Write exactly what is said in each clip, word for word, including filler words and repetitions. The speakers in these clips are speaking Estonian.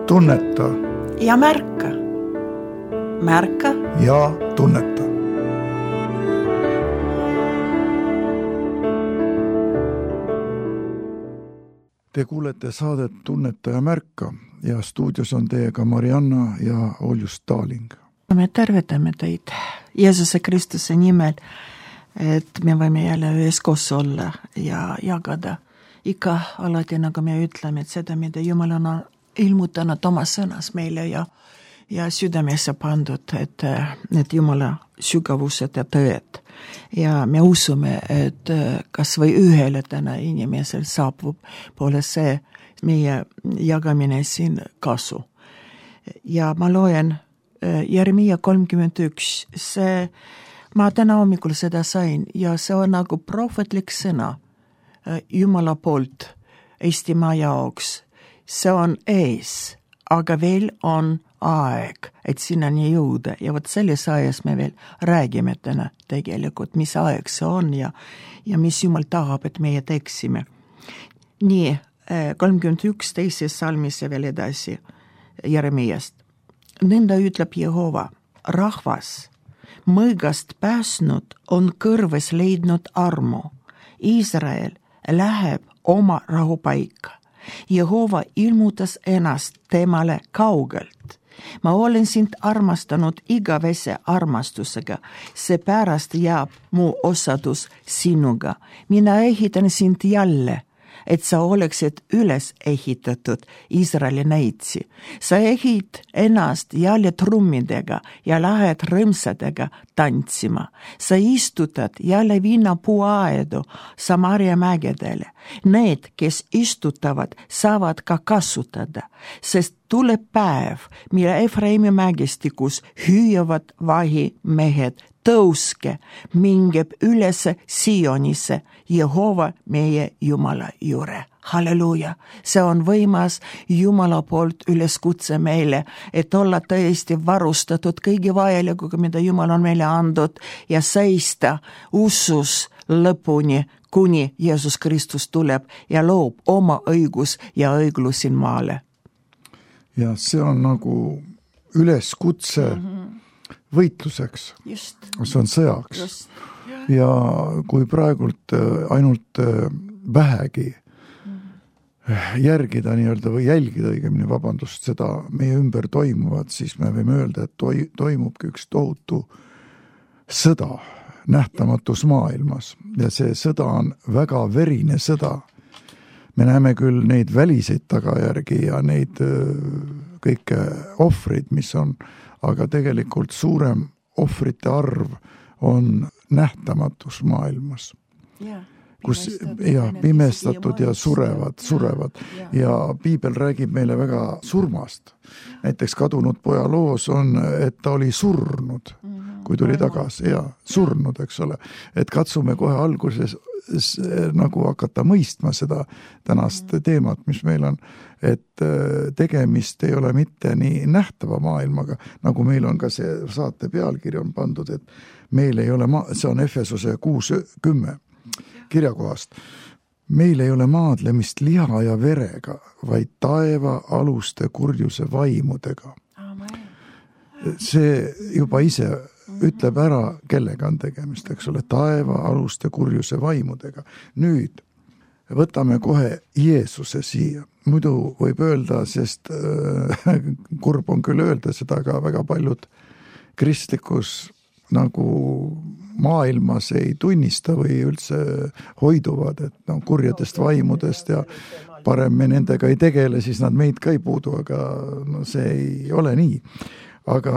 tunneta ja märka. Märka ja tunneta. Te kuulete saadet Tunneta ja märka ja stuudios on teiega Marianna ja Oljus Taaling. Me tervetame teid Jeesuse Kristuse nimel, et me võime jälle üheskoos olla ja jagada ikka alati, nagu me ütleme, et seda, mida Jumal on ilmutanud oma sõnas meile ja, ja südamesse pandud, et need Jumala sügavused ja tõed. Ja me usume, et kas või ühele täna inimesel saabub poole see meie jagamine siin kasu. Ja ma loen Jeremia kolmkümmend üks, see, ma täna hommikul seda sain ja see on nagu prohvetlik sõna Jumala poolt Eestimaa jaoks. See on ees, aga veel on aeg, et sinnani jõuda ja võt selles ajas me veel räägime täna tegelikult, mis aeg see on ja, ja mis Jumal tahab, et meie teeksime. Nii, kolmkümmend üks teises salmis ja veel edasi Jeremiast. Nõnda ütleb Jehova, rahvas, mõõgast pääsnud on kõrves leidnud armu. Iisrael läheb oma rahupaika. Jehova ilmutas ennast temale kaugelt. Ma olen sind armastanud igavese armastusega, see pärast jääb mu osadus sinuga. Mina ehitan sind jälle, et sa oleksid üles ehitatud Iisraeli näitsi. Sa ehid ennast jälle trummidega ja lähed rõmsadega tantsima. Sa istutad jälle viinapuuaedu Samaria mägedele. Need, kes istutavad, saavad ka kasutada, sest tuleb päev, mille Efraimi mägestikus hüüavad vahimehed. Tõuske, mingeb üles Sionisse, Jehova meie Jumala juure. Halleluuja, see on võimas Jumala poolt üleskutse meile, et olla tõesti varustatud kõigi vajalikuga, mida Jumal on meile andnud ja seista usus lõpuni, kuni Jeesus Kristus tuleb ja loob oma õigus ja õiglus siin maale. Ja see on nagu üleskutse mm-hmm. võitluseks, Just. see on sõjaks. Just. Ja. ja kui praegult ainult vähegi järgida nii-öelda või jälgida õigemini, vabandust, seda meie ümber toimuvat, siis me võime öelda, et toi, toimubki üks tohutu sõda nähtamatus maailmas ja see sõda on väga verine sõda. Me näeme küll neid väliseid tagajärgi ja neid kõike ohvrid, mis on, aga tegelikult suurem ohvrite arv on nähtamatus maailmas. Yeah. kus ja pimestatud ja surevad, surevad ja piibel räägib meile väga surmast. Näiteks kadunud poja loos on, et ta oli surnud, kui tuli tagasi ja surnud, eks ole. Et katsume kohe alguses nagu hakata mõistma seda tänast teemat, mis meil on, et tegemist ei ole mitte nii nähtava maailmaga, nagu meil on ka see saate pealkiri on pandud, et meil ei ole, ma- see on Efesose kuus kümme kirjakohast. Meil ei ole maadlemist liha ja verega, vaid taeva aluste kurjuse vaimudega. See juba ise ütleb ära, kellega on tegemist, eks ole, taeva aluste kurjuse vaimudega. Nüüd võtame kohe Jeesuse siia. Muidu võib öelda, sest äh, kurb on küll öelda seda, aga väga paljud kristlikus nagu maailmas ei tunnista või üldse hoiduvad, et no, kurjadest vaimudest ja parem me nendega ei tegele, siis nad meid ka ei puudu, aga no, see ei ole nii. Aga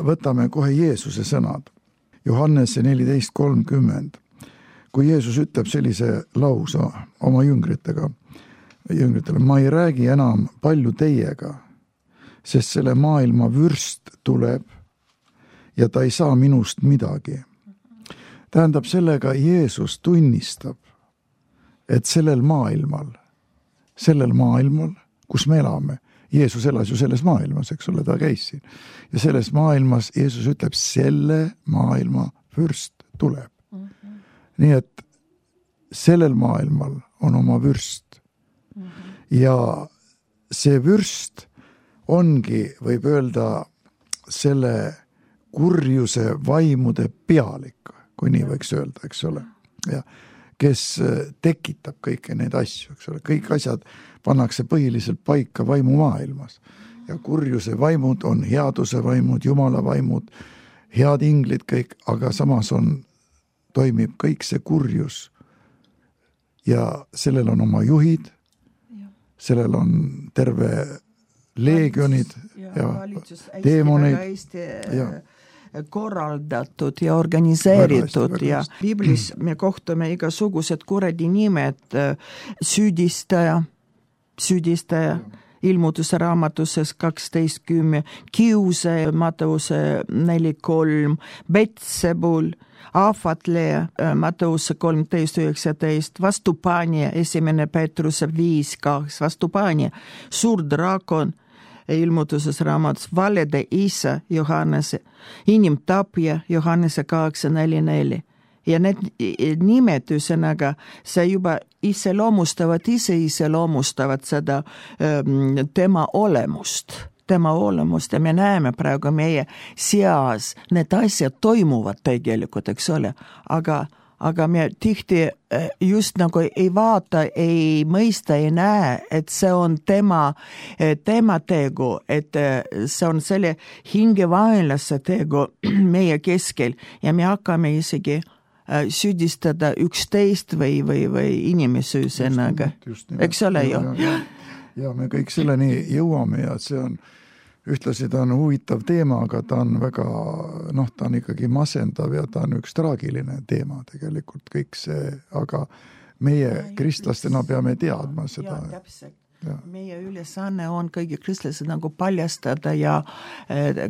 võtame kohe Jeesuse sõnad. Johannese neliteist kolmkümmend. Kui Jeesus ütleb sellise lausa oma jüngritega, jüngritele, ma ei räägi enam palju teiega, sest selle maailma vürst tuleb ja ta ei saa minust midagi. Tähendab, sellega Jeesus tunnistab, et sellel maailmal, sellel maailmal, kus me elame, Jeesus elas ju selles maailmas, eks ole, ta käis siin. Ja selles maailmas Jeesus ütleb, selle maailma vürst tuleb. Mm-hmm. Nii et sellel maailmal on oma vürst. Mm-hmm. Ja see vürst ongi, võib öelda, selle kurjuse vaimude pealik, kui nii võiks öelda, eks ole. Ja kes tekitab kõiki neid asju, eks ole. Kõik asjad pannakse põhiliselt paika vaimumaailmas. Ja kurjuse vaimud on headuse vaimud, jumala vaimud, head inglid kõik, aga samas on, toimib kõik see kurjus. Ja sellel on oma juhid, sellel on terve leegionid ja, ja deemoneid ja korraldatud ja organiseeritud ja Biblis me kohtame igasugused kuradi nimed, süüdistaja, süüdistaja, ilmutuse raamatuses kaksteist kümme, kiuse, Matteuse neli kolm, Betsebul, ahvatleja, Matteuse kolmteist üheksateist, vastupanja, esimene Petruse viis kaks, vastupanja, suur drakon, ilmutuses raamatus, valede isa, Johannese, inimtapja, Johannese kaheksa neli neli. Ja need nimed üsõnaga, see juba iseloomustavad, ise iseloomustavad seda ähm, tema olemust, tema olemust ja me näeme praegu meie seas, need asjad toimuvad tegelikult, eks ole, aga aga me tihti just nagu ei vaata, ei mõista, ei näe, et see on tema, tema tegu, et see on selle hingevaenlase tegu meie keskel ja me hakkame isegi süüdistada üksteist või, või, või inimesi üsõnaga. Eks ole ju? Ja, ja, ja me kõik selleni jõuame ja see on ühtlasi ta on huvitav teema, aga ta on väga, noh, ta on ikkagi masendav ja ta on üks traagiline teema tegelikult kõik see, aga meie kristlastena peame teadma seda. Ja, täpselt. Ja. Meie ülesanne on kõigi kristlased nagu paljastada ja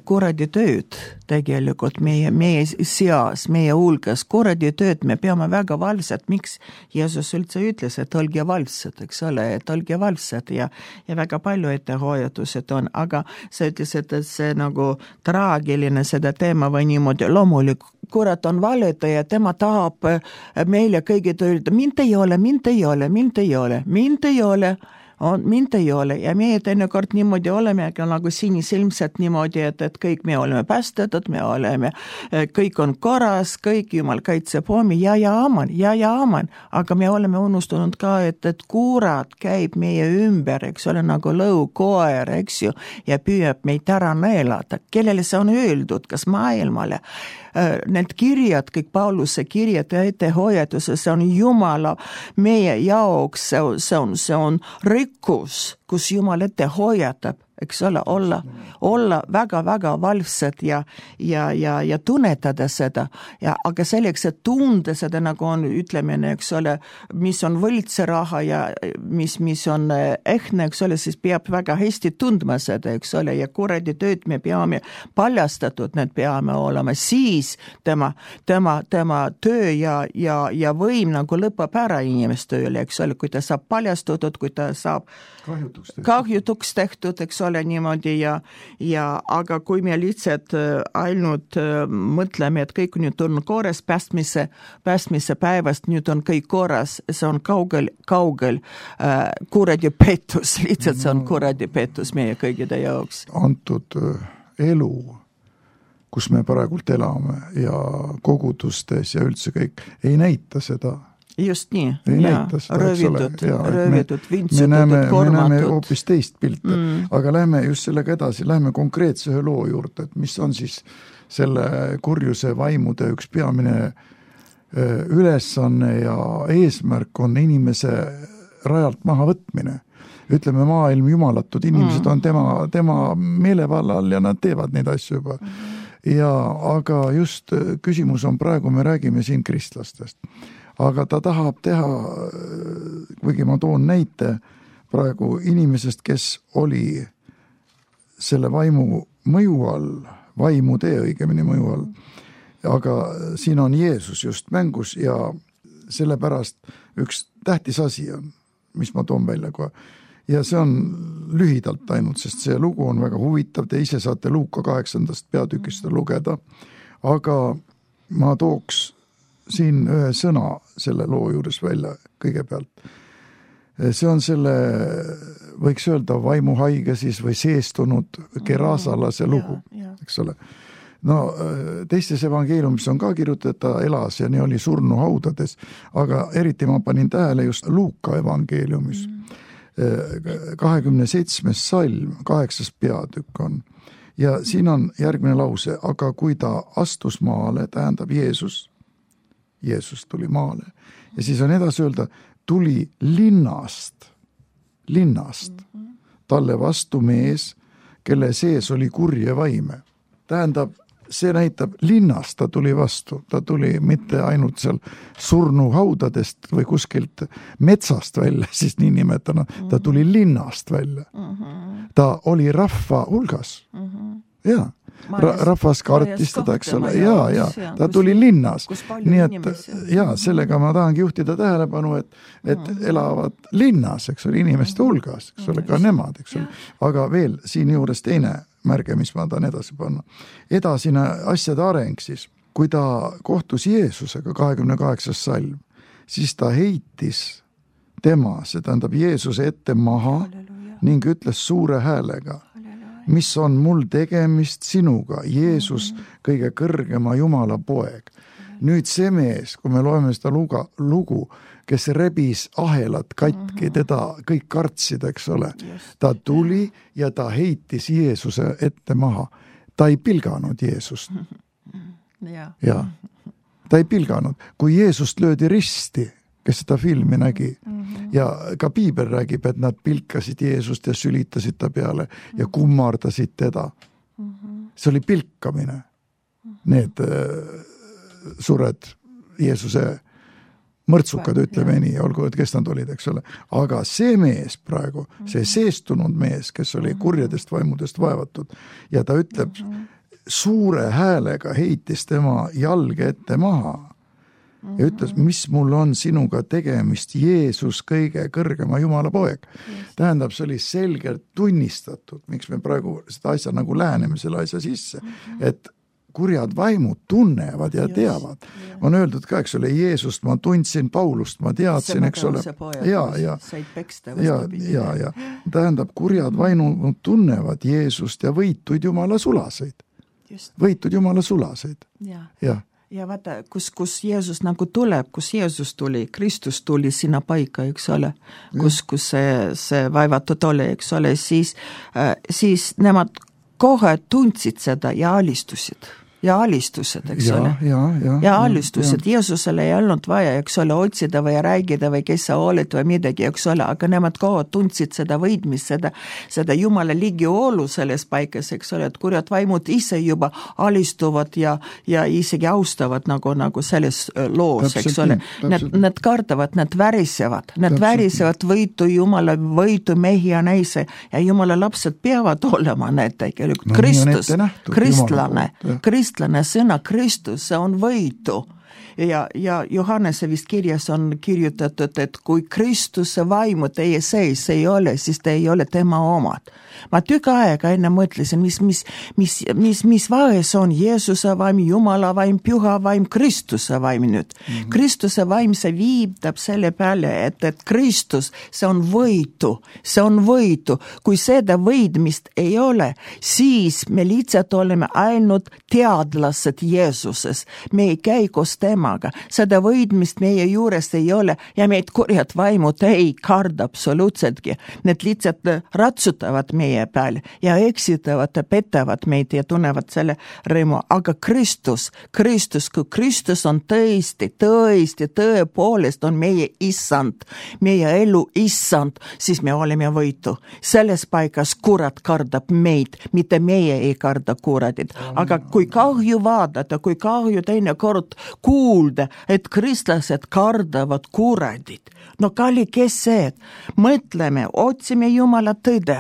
kuradi tööd tegelikult meie, meie seas, meie hulgas. Kuradi tööd me peame väga valvsad. Miks Jeesus üldse ütles, et olge valvsad, eks ole, et olge valvsad ja, ja väga palju ettehoiatused on, aga sa ütles, et see nagu traagiline seda teema või niimoodi loomulik. Kurat on valetaja, tema tahab meile kõigi öelda, mind ei ole, mind ei ole, mind ei ole, mind ei ole. On, mind ei ole ja meie teinekord niimoodi oleme nagu sinisilmselt niimoodi, et, et kõik me oleme päästetud, me oleme, kõik on korras, kõik Jumal kaitseb homi ja ja aman, ja ja aman, aga me oleme unustunud ka, et, et kurat käib meie ümber, eks ole, nagu lõukoer, eks ju, ja püüab meid ära neelata. Kellele see on öeldud, kas maailmale? Need kirjad, kõik Pauluse kirjad ja ettehoiatuse, see on Jumala meie jaoks, see on, see on, see on rikkus, kus Jumal ette hoiatab, eks ole, olla, olla väga-väga valvsad ja, ja, ja, ja tunnetada seda. Ja, aga selleks, et tunde seda nagu on, ütleme, eks ole, mis on võltse raha ja mis, mis on ehtne, eks ole, siis peab väga hästi tundma seda, eks ole, ja kuradi tööd me peame paljastatud, need peame olema, siis tema, tema, tema töö ja, ja, ja võim nagu lõpeb ära inimeste tööle, eks ole, kui ta saab paljastatud, kui ta saab kahjutuks tehtud, kahjutuks tehtud eks ole niimoodi ja, ja aga kui me lihtsalt ainult mõtleme, et kõik nüüd on korras päästmise, päästmise päevast, nüüd on kõik korras, see on kaugel, kaugel äh, kuradi pettus, lihtsalt see on kuradi pettus meie kõigide jaoks. Antud elu, kus me praegult elame ja kogudustes ja üldse kõik, ei näita seda. Just nii, ei ja, seda, röövitud, ja, röövitud, vintsutud, me näeme, kormatud. Me näeme hoopis teist pilte, mm. aga lähme just sellega edasi, lähme konkreetse ühe loo juurde, et mis on siis selle kurjuse vaimude üks peamine ülesanne ja eesmärk on inimese rajalt maha võtmine. Ütleme, maailm jumalatud inimesed mm. on tema, tema meelevallal ja nad teevad neid asju juba. Ja, aga just küsimus on praegu, me räägime siin kristlastest. Aga ta tahab teha, kuigi ma toon näite praegu inimesest, kes oli selle vaimu mõju all, vaimu tee õigemini mõju all, aga siin on Jeesus just mängus ja sellepärast üks tähtis asi on, mis ma toon välja kohe. Ja see on lühidalt ainult, sest see lugu on väga huvitav, te ise saate Luuka kaheksandast peatükist lugeda, aga ma tooks siin ühe sõna selle loo juures välja kõigepealt. see on selle, võiks öelda, vaimuhaige siis või seestunud Gerasalase lugu, eks ole. No teistes evangeeliumis on ka kirjutatud, et ta elas ja nii oli surnu haudades, aga eriti ma panin tähele just Luuka evangeeliumis. kahekümne seitsmes salm, kaheksas peatükk on. Ja siin on järgmine lause, aga kui ta astus maale, tähendab Jeesus, Jeesus tuli maale. Ja siis on edasi öelda, tuli linnast, linnast, talle vastu mees, kelle sees oli kurje vaime. Tähendab, see näitab linnast, ta tuli vastu, ta tuli mitte ainult seal surnu haudadest või kuskilt metsast välja, siis nii nimetana, ta tuli linnast välja. Ta oli rahva hulgas. Jaa, Ra rahvas kartis teda, eks ole, jaa, jaa, ta tuli linnas. Nii et, jaa, sellega ma tahangi juhtida tähelepanu, et, et elavad linnas, eks ole, inimeste hulgas, eks ole, ka nemad, eks ole. Aga veel siin juures teine märge, mis ma tahan edasi panna. Edasine asjade areng siis, kui ta kohtus Jeesusega kahekümne kaheksas salm, siis ta heitis tema, see tähendab Jeesuse ette maha ning ütles suure häälega, mis on mul tegemist sinuga, Jeesus, kõige kõrgema Jumala poeg. Nüüd see mees, kui me loeme seda lugu, lugu kes rebis ahelat katki, teda kõik kartsid, eks ole. Ta tuli ja ta heitis Jeesuse ette maha. Ta ei pilganud Jeesust. Ja. Ta ei pilganud. Kui Jeesust löödi risti, kes seda filmi nägi, ja ka Piibel räägib, et nad pilkasid Jeesust ja sülitasid ta peale ja kummardasid teda. See oli pilkamine. Need sured Jeesuse mõrtsukad, ütleme nii, olgu, et kes nad olid, eks ole. Aga see mees praegu, see seestunud mees, kes oli kurjadest vaimudest vaevatud, ja ta ütleb, suure häälega heitis tema jalge ette maha ja ütles, mis mul on sinuga tegemist, Jeesus, kõige kõrgema Jumala poeg. Tähendab, see oli selgelt tunnistatud, miks me praegu seda asja nagu läheneme selle asja sisse, et kurjad vaimud tunnevad ja teavad. On öeldud ka, eks ole, Jeesust ma tundsin, Paulust ma teadsin, eks ole. Ja, ja, ja, ja, ja. Tähendab, kurjad vaimud tunnevad Jeesust ja võituid Jumala sulaseid. Võitud Jumala sulaseid. Ja, ja. Ja vaata, kus, kus Jeesus nagu tuleb, kus Jeesus tuli, Kristus tuli sinna paika, eks ole, kus, kus see, see vaevatud oli, eks ole, siis, äh, siis nemad kohe tundsid seda ja alistusid. Ja alistused, eks ja, ole. Ja, ja, ja alistused. Ja. Jeesusele ei olnud vaja, eks ole, otsida või räägida või kes sa oled või midagi, eks ole, aga nemad kohe tundsid seda võidmist, seda, seda Jumala ligiolu selles paikas, eks ole, et kurjad vaimud ise juba alistuvad ja, ja isegi austavad nagu, nagu selles loos, täpselt, eks ole. Nad, nad kardavad, nad värisevad, nad täpselt. Värisevad võitu Jumala, võitu mehi ja naise ja Jumala lapsed peavad olema need tegelikult. No, Kristus, kristlane, kristlane. Kristlane sõna Kristus, see on võitu. Ja, ja Johannese vist kirjas on kirjutatud, et kui Kristuse vaimu teie sees ei ole, siis te ei ole tema omad. Ma tükk aega enne mõtlesin, mis, mis, mis, mis, mis vaes on Jeesuse vaim, Jumala vaim, Püha vaim, Kristuse vaim nüüd. Mm-hmm. Kristuse vaim, see viitab selle peale, et, et Kristus, see on võitu, see on võitu. Kui seda võidmist ei ole, siis me lihtsalt oleme ainult teadlased Jeesuses. Me ei käi koos temaga. Seda võidmist meie juures ei ole ja meid kurjad vaimud ei karda absoluutsetki. Need lihtsalt ratsutavad meie peale ja eksitavad ja petavad meid ja tunnevad selle rõõmu. Aga Kristus, Kristus, kui Kristus on tõesti, tõesti, tõepoolest on meie issand, meie elu issand, siis me oleme võitu. Selles paikas kurat kardab meid, mitte meie ei karda kuradit. Aga kui kahju vaadata, kui kahju teine kord kuulda, et kristlased kardavad kuradit, no kalli, kes see? Mõtleme, otsime Jumala tõde.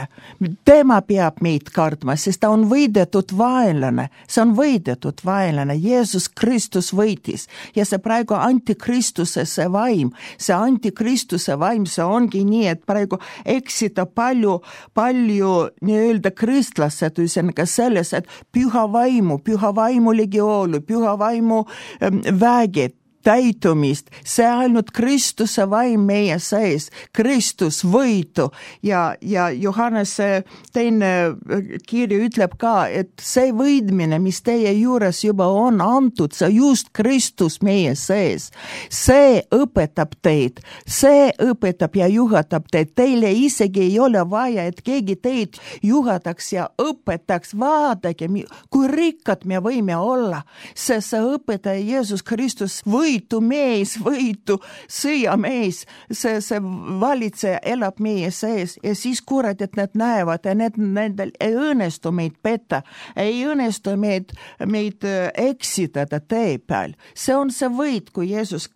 Tema peab meid kardma, sest ta on võidetud vaenlane. See on võidetud vaenlane. Jeesus Kristus võitis. Ja see praegu antikristuse see vaim, see antikristuse vaim, see ongi nii, et praegu eksita palju, palju nii-öelda kristlased, üsenega selles, et püha vaimu, püha vaimu legioolu, püha vaimu ähm, väged, täitumist, see ainult Kristuse vaim meie sees, Kristus võitu ja, ja Johannese teine kiri ütleb ka, et see võidmine, mis teie juures juba on antud, see just Kristus meie sees, see õpetab teid, see õpetab ja juhatab teid, teile isegi ei ole vaja, et keegi teid juhataks ja õpetaks, vaadake, kui rikkad me võime olla, see, see õpetaja Jeesus Kristus võitu mees, võitu sõjamees, see, see valitseja elab meie sees ja siis kurat, et nad näevad ja need, nendel ei õnnestu meid petta, ei õnnestu meid, meid eksitada tee peal. See on see võit, kui Jeesus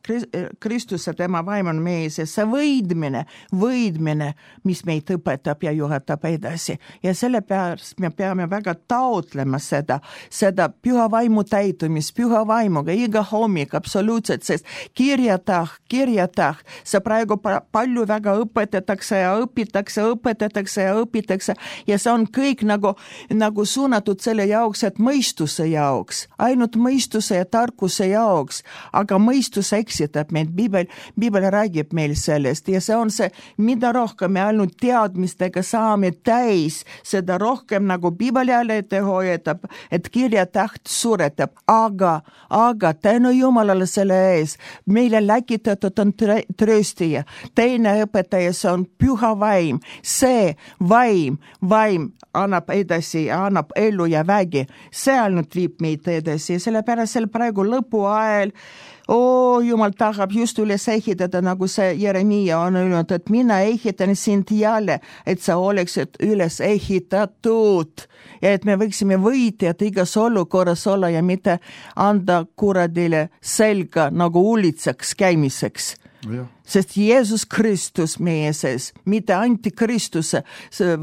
Kristus ja tema vaim on meie sees, see võidmine, võidmine, mis meid õpetab ja juhatab edasi. Ja selle pärast me peame väga taotlema seda, seda püha vaimu täitumist, püha vaimuga iga hommik absoluutselt, sest kirjatah, kirjatah, see praegu palju väga õpetatakse ja õpitakse, õpetatakse ja õpitakse ja see on kõik nagu, nagu suunatud selle jaoks, et mõistuse jaoks, ainult mõistuse ja tarkuse jaoks, aga mõistus eksitab meid, Biibel, Biibel räägib meil sellest ja see on see, mida rohkem me ainult teadmistega saame täis, seda rohkem nagu Biibel jälle ette hoiatab, et kirjataht suretab, aga, aga tänu Jumalale selle ees, meile läkitatud on trööstija, teine õpetaja, see on püha vaim, see vaim, vaim annab edasi ja annab elu ja vägi, see ainult viib meid edasi ja sellepärast seal praegu lõpu ajal oo, Jumal tahab just üles ehitada, nagu see Jeremia on öelnud, et mina ehitan sind jälle, et sa oleksid üles ehitatud ja et me võiksime võitjad igas olukorras olla ja mitte anda kuradile selga nagu ulitsaks käimiseks. Ja. Sest Jeesus Kristus meie sees, mitte antikristuse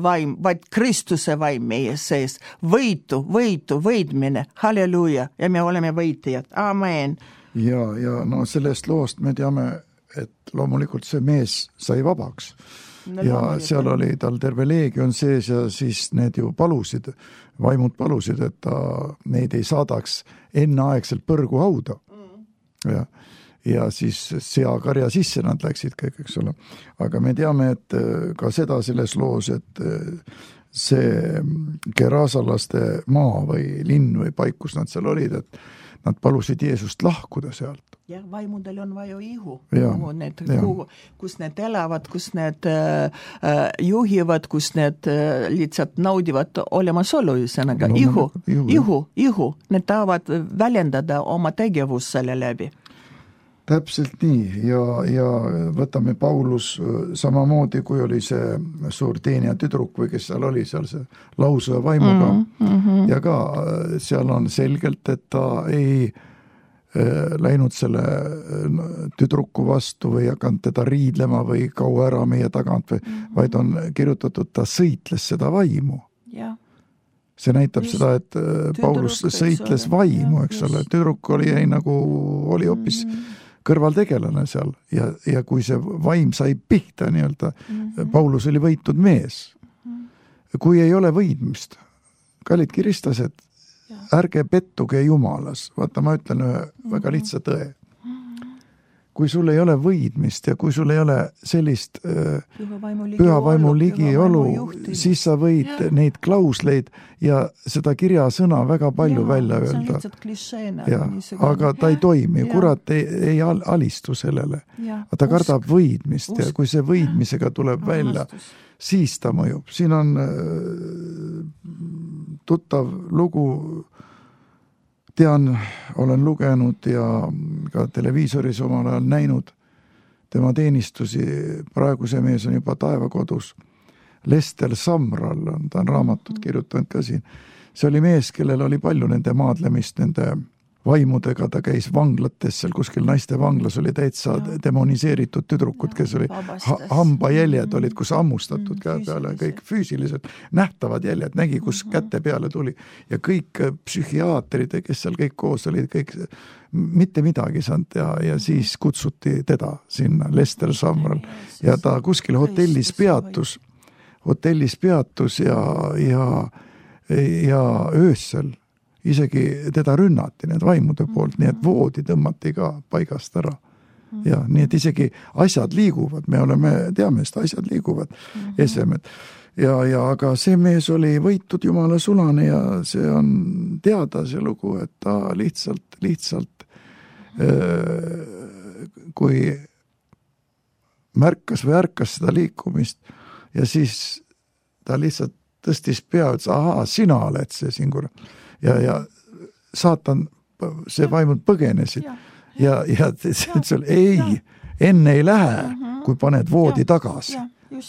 vaim, vaid Kristuse vaim meie sees. Võitu, võitu, võidmine, halleluuja ja me oleme võitjad. Amen. Ja, ja no sellest loost me teame, et loomulikult see mees sai vabaks no, ja seal oli tal terve leegion sees ja siis need ju palusid, vaimud palusid, et ta neid ei saadaks enneaegselt põrgu hauda mm. ja, ja siis seakarja sisse nad läksid kõik, eks ole. Aga me teame, et ka seda selles loos, et see gerasalaste maa või linn või paik, kus nad seal olid, et nad palusid Jeesust lahkuda sealt. Ja vaimudel on vaja ihu, ja, need, kuhu, kus need elavad, kus need äh, juhivad, kus need äh, lihtsalt naudivad olemasolu, üsanaga no, ihu, ihu, ihu, ihu, need tahavad väljendada oma tegevust selle läbi. Täpselt nii ja, ja võtame Paulus samamoodi, kui oli see suur teenija tüdruk või kes seal oli, seal see lausa vaimuga mm -hmm. ja ka seal on selgelt, et ta ei äh, läinud selle tüdruku vastu või hakanud teda riidlema või kaua ära meie tagant, või, mm -hmm. vaid on kirjutatud, ta sõitles seda vaimu. Ja. See näitab just seda, et Paulus sõitles vaimu, eks ole, tüdruk oli, ei, nagu oli hoopis mm -hmm. kõrvaltegelane seal ja, ja kui see vaim sai pihta nii-öelda, mm-hmm. Paulus oli võitud mees. Mm-hmm. Kui ei ole võidmist, kallid kiristlased, ärge pettuge Jumalas. Vaata, ma ütlen ühe mm-hmm. väga lihtsa tõe. Mm-hmm. Kui sul ei ole võidmist ja kui sul ei ole sellist äh, püha vaimu ligiolu, siis sa võid ja. Neid klausleid ja seda kirjasõna väga palju ja, välja öelda. Ja, aga ta ei toimi, ja. Kurat ei, ei alistu sellele. Ja, ta usk, kardab võidmist usk. Ja kui see võidmisega tuleb välja, siis ta mõjub. Siin on äh, tuttav lugu, tean, olen lugenud ja ka televiisoris omal ajal näinud tema teenistusi, praegu see mees on juba taevakodus. Lester Samral on, ta on raamatut kirjutanud ka siin. See oli mees, kellel oli palju nende maadlemist, nende vaimudega, ta käis vanglates, seal kuskil naiste vanglas oli täitsa ja. Demoniseeritud tüdrukud, kes oli ha hambajäljed olid, kus ammustatud mm, käe peale, kõik füüsiliselt nähtavad jäljed, nägi, kus mm -hmm. käte peale tuli ja kõik psühhiaatrid, kes seal kõik koos olid, kõik mitte midagi saanud ja, ja siis kutsuti teda sinna, Lester Samral ja ta kuskil hotellis peatus, hotellis peatus ja, ja, ja öösel isegi teda rünnati need vaimude poolt, nii et voodi tõmmati ka paigast ära. Ja nii et isegi asjad liiguvad, me oleme, teame, et asjad liiguvad, esemed. Ja, ja aga see mees oli võitud Jumala sulane ja see on teada see lugu, et ta lihtsalt, lihtsalt kui märkas või ärkas seda liikumist ja siis ta lihtsalt tõstis pea, et ahaa, sina oled see singur. Ja, ja saatan, see vaimud põgenesid. Ja, ja see ütles, ei, enne ei lähe, kui paned voodi tagasi.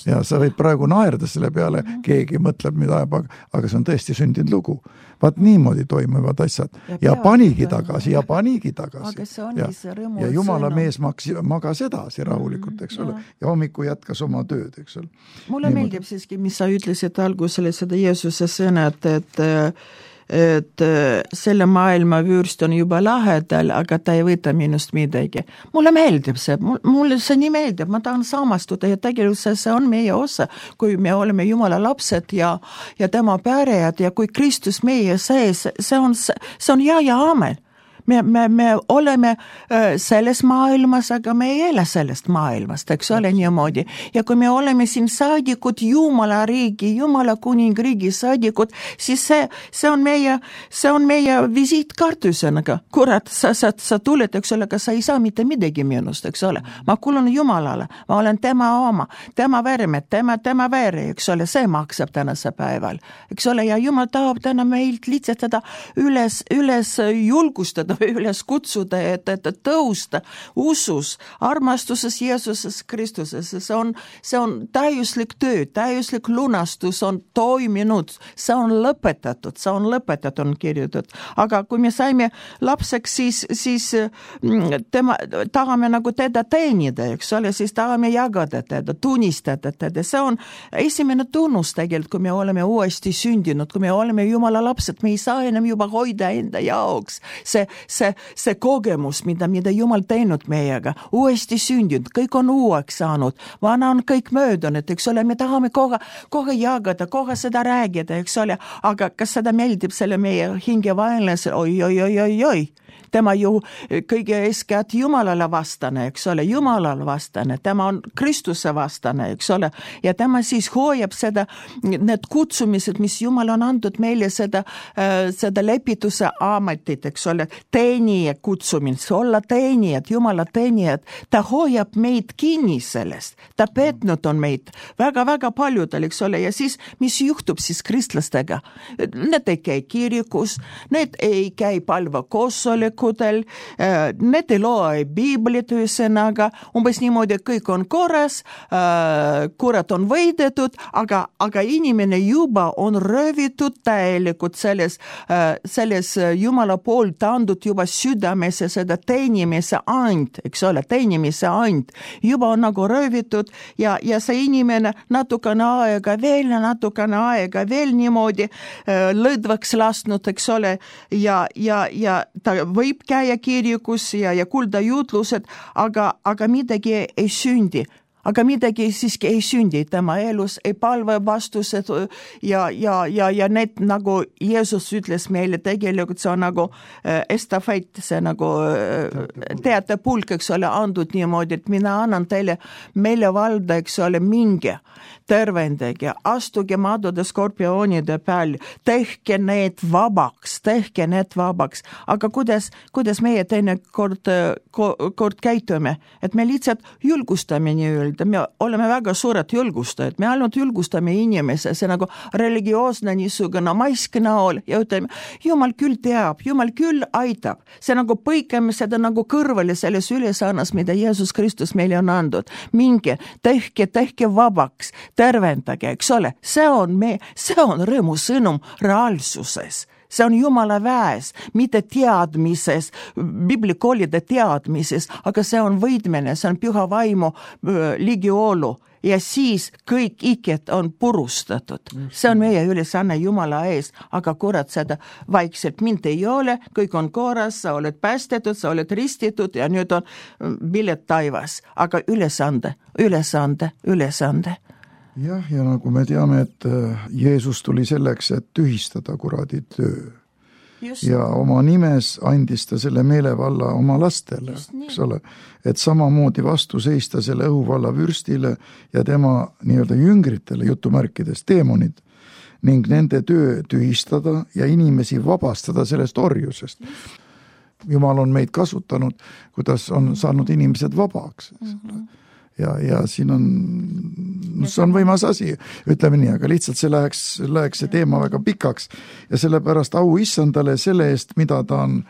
Ja sa võid praegu naerda selle peale, keegi mõtleb, mida ajab, aga see on tõesti sündinud lugu. Vaat niimoodi toimuvad asjad. Ja panigi tagasi, ja panigi tagasi. Ja, ja Jumala mees magas edasi rahulikult, eks ole. Ja hommiku jätkas oma tööd, eks ole. Mulle meeldib siiski, mis sa ütlesid algusele seda Jeesuse sõnad, et et selle maailma vürst on juba lahedal, aga ta ei võta minust midagi. Mulle meeldib see, mulle see nii meeldib, ma tahan samastuda ja tegelikult see on meie osa, kui me oleme Jumala lapsed ja, ja tema pärejad ja kui Kristus meie sees, see on, see on ja ja aamen. Me, me, me oleme selles maailmas, aga me ei ele sellest maailmast, eks ole niimoodi. Ja kui me oleme siin saadikud, Jumala riigi, Jumala kuningriigi saadikud, siis see, see on meie, see on meie visiitkartusena. Kurat, sa, sa, sa tuled, eks ole, aga sa ei saa mitte midagi minust, eks ole. Ma kuulun Jumalale, ma olen tema oma, tema verme, tema, tema vere, eks ole, see maksab tänase päeval. Eks ole, ja Jumal tahab täna meilt lihtsalt seda üles, üles julgustada, üles kutsuda, et, et tõusta usus, armastuses Jeesuses Kristuses. See on, see on täiuslik töö, täiuslik lunastus on toiminud, see on lõpetatud, see on lõpetatud, on kirjutatud. Aga kui me saime lapseks, siis, siis tema, tahame nagu teda teenida, eks ole, siis tahame jagada teda, tunnistada teda. See on esimene tunnus tegelikult, kui me oleme uuesti sündinud, kui me oleme Jumala lapsed, me ei saa enam juba hoida enda jaoks. See See, see kogemus, mida, mida Jumal teinud meiega, uuesti sündinud, kõik on uueks saanud, vana on kõik möödunud, eks ole, me tahame kohe, kohe jagada, kohe seda räägida, eks ole, aga kas seda meeldib selle meie hinge vaenlase, oi, oi, oi, oi, oi. Tema ju kõige eeskätt Jumalale vastane, eks ole, Jumalale vastane, tema on Kristuse vastane, eks ole, ja tema siis hoiab seda, need kutsumised, mis Jumal on andnud meile seda, seda lepituse ametit, eks ole, teenija kutsumine, olla teenijad, Jumala teenijad, ta hoiab meid kinni sellest, ta petnud on meid väga-väga paljudel, eks ole, ja siis, mis juhtub siis kristlastega? Need ei käi kirikus, need ei käi palva koosolek, need ei loe Biiblit ühesõnaga, umbes niimoodi, et kõik on korras, kurat on võidetud, aga, aga inimene juba on röövitud täielikult selles, selles Jumala poolt andud juba südamesse seda teenimise and, eks ole, teenimise and, juba on nagu röövitud ja, ja see inimene natukene aega veel, natukene aega veel niimoodi lõdvaks lasnud, eks ole, ja, ja, ja ta võib käia kirjukus ja, ja kuulda jutlused, aga, aga midagi ei sündi. Aga midagi siiski ei sündi tema elus, ei palve vastused ja, ja, ja, ja need nagu Jeesus ütles meile tegelikult, see on nagu äh, estafett, see nagu äh, teatepulk, eks ole, andud niimoodi, et mina annan teile meile valda, eks ole, minge, tervendage, astuge madude skorpioonide peal, tehke need vabaks, tehke need vabaks. Aga kuidas, kuidas meie teine kord, kord käitume? Et me lihtsalt julgustame nii öelda, me oleme väga suured julgustajad, me ainult julgustame inimese, see nagu religioosne niisugune maisk näol ja ütleme, Jumal küll teab, Jumal küll aitab. See nagu põikame seda nagu kõrvale selles ülesannas, mida Jeesus Kristus meile on andnud. Minge, tehke, tehke vabaks, tervendage, eks ole, see on, me, see on rõõmu sõnum reaalsuses. See on Jumala väes, mitte teadmises, biblikoolide teadmises, aga see on võidmine, see on püha vaimu ligiolu ja siis kõik iked on purustatud. See on meie ülesanne Jumala ees, aga kurat seda vaikselt mind ei ole, kõik on korras, sa oled päästetud, sa oled ristitud ja nüüd on pilet taivas, aga ülesande, ülesande, ülesande. Jah, ja nagu me teame, et Jeesus tuli selleks, et tühistada kuradi töö. Just. ja oma nimes andis ta selle meelevalla oma lastele, eks ole, et samamoodi vastu seista selle õhuvalla vürstile ja tema nii-öelda jüngritele, jutumärkides, teemonid, ning nende töö tühistada ja inimesi vabastada sellest orjusest. Jumal on meid kasutanud, kuidas on saanud inimesed vabaks. Mm-hmm. Ja, ja siin on, see on võimas asi, ütleme nii, aga lihtsalt see läheks, läheks see teema väga pikaks ja sellepärast au issandale selle eest, mida ta on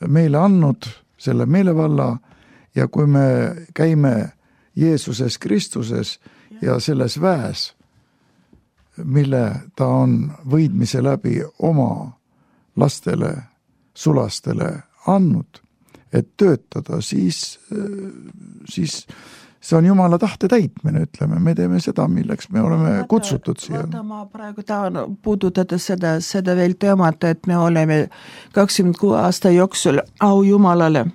meile andnud, selle meelevalla, ja kui me käime Jeesuses Kristuses ja selles väes, mille ta on võidmise läbi oma lastele, sulastele andnud, et töötada, siis, siis see on Jumala tahte täitmine, ütleme, me teeme seda, milleks me oleme vaata, kutsutud siia. Vaata, ma praegu tahan puudutada seda, seda veel teemat, et me oleme kakskümmend kuue aasta jooksul au Jumalale,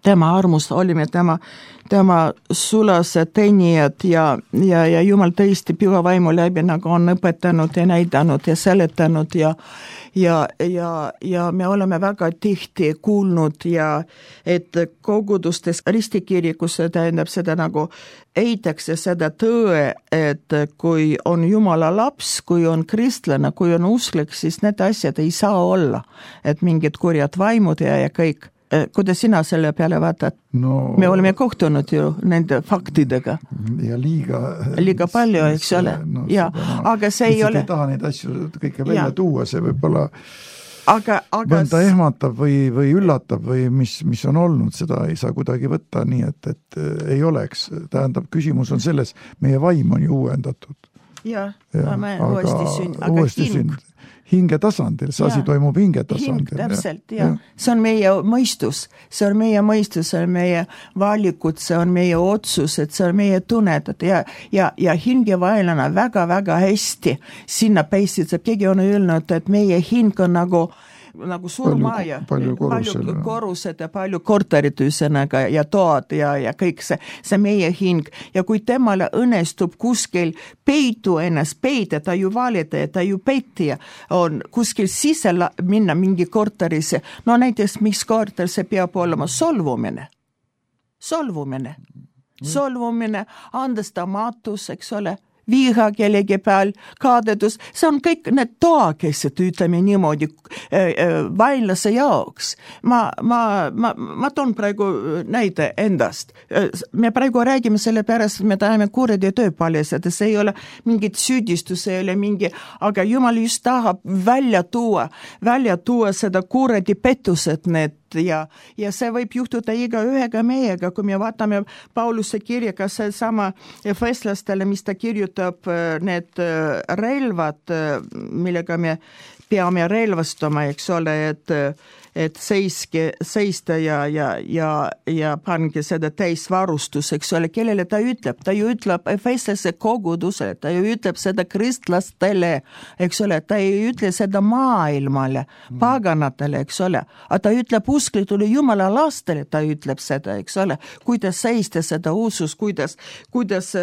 tema armust olime tema, tema sulased teenijad ja, ja, ja Jumal tõesti püha vaimu läbi nagu on õpetanud ja näidanud ja seletanud ja Ja, ja, ja me oleme väga tihti kuulnud ja et kogudustes ristikirikus tähendab seda nagu eitakse seda tõe, et kui on Jumala laps, kui on kristlane, kui on usklik, siis need asjad ei saa olla, et mingid kurjad vaimud ja, ja kõik. Kuidas sina selle peale vaatad? No, me oleme kohtunud ju nende faktidega. Ja liiga... Liiga palju, eks ole. No, ja, no, aga see ei ole... ei taha neid asju kõike välja ja. Tuua, see võib-olla aga, aga... mõnda ehmatab või, või üllatab või mis, mis on olnud, seda ei saa kuidagi võtta nii, et, et ei oleks. Tähendab, küsimus on selles, meie vaim on ju uuendatud. Ja, ja ma uuesti sünd, aga uuesti hing... Sünd. Hinge tasandil, see asi toimub hinge tasandil. Hing, täpselt, ja. Ja. See on meie mõistus, see on meie mõistus, see on meie valikud, see on meie otsused, see on meie tunnetad ja, ja, ja hingevaelana väga-väga hästi sinna peistitseb. Keegi on öelnud, et meie hing on nagu nagu suur maja, palju, palju, palju korused ja palju korterid üsõnaga ja toad ja, ja kõik see, see meie hing. Ja kui temale õnnestub kuskil peitu ennast peita, ta ju valida ja ta ju peitija on kuskil sisse minna mingi korterisse. No näiteks, mis korter see peab olema? Solvumine. Solvumine. Solvumine, andestamatus, eks ole, viha kellegi peal, kaadedus, see on kõik need toakesed, ütleme niimoodi, vainlase jaoks. Ma, ma, ma, ma toon praegu näide endast. Me praegu räägime selle pärast, me tahame kuradi töö paljastada, see ei ole mingit süüdistus, see ei ole mingi, aga Jumal just tahab välja tuua, välja tuua seda kuradi pettused need ja, ja see võib juhtuda iga ühega meiega, kui me vaatame Pauluse kirja, kas see sama efeslastele, mis ta kirjutab need relvad, millega me peame relvastama, eks ole, et, et seiske, seista ja, ja, ja, ja pange seda täisvarustus, eks ole, kellele ta ütleb, ta ju ütleb efeslase kogudusele, ta ju ütleb seda kristlastele, eks ole, ta ei ütle seda maailmale, paganatele, eks ole, aga ta ütleb usklitule Jumala lastele, ta ütleb seda, eks ole, kuidas seista seda usus, kuidas, kuidas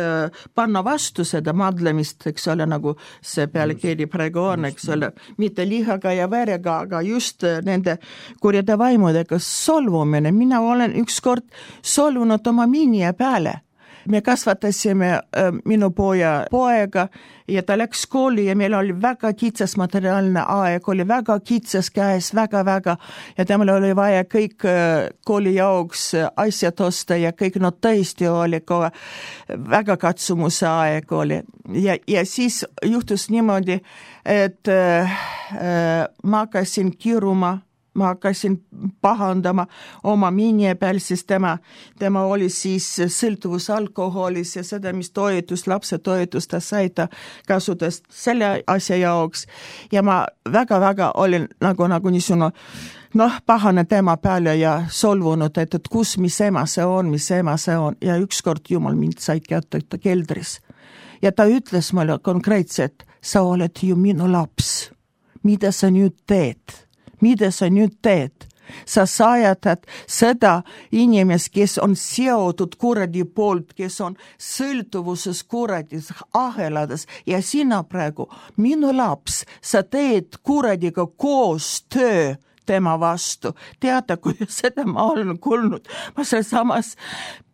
panna vastu seda madlemist, eks ole, nagu see pealekiri praegu on, eks ole, mitte lihaga ja verega, aga just nende kurjade vaimudega solvumine. Mina olen ükskord solvunud oma minija peale. Me kasvatasime äh, minu poja poega ja ta läks kooli ja meil oli väga kitsas materiaalne aeg, oli väga kitsas käes, väga-väga ja temal oli vaja kõik äh, kooli jaoks asjad osta ja kõik, no tõesti oli kohe väga katsumuse aeg oli. Ja, ja siis juhtus niimoodi, et äh, äh, ma hakkasin kiruma, ma hakkasin pahandama oma minje peal, siis tema, tema oli siis sõltuvus alkoholis ja seda, mis toetus, lapse toetus ta sai ta kasutas selle asja jaoks. Ja ma väga-väga olin nagu, nagu niisugune, noh, pahane tema peale ja solvunud, et, et kus, mis ema see on, mis ema see on. Ja ükskord Jumal mind sai kätte keldris. Ja ta ütles mulle konkreetselt, sa oled ju minu laps. Mida sa nüüd teed? Mida sa nüüd teed? Sa sajatad seda inimest, kes on seotud kuradi poolt, kes on sõltuvuses kuradis, ahelades ja sina praegu, minu laps, sa teed kuradiga koos töö tema vastu. Teada, kui seda ma olen kuulnud, ma seal samas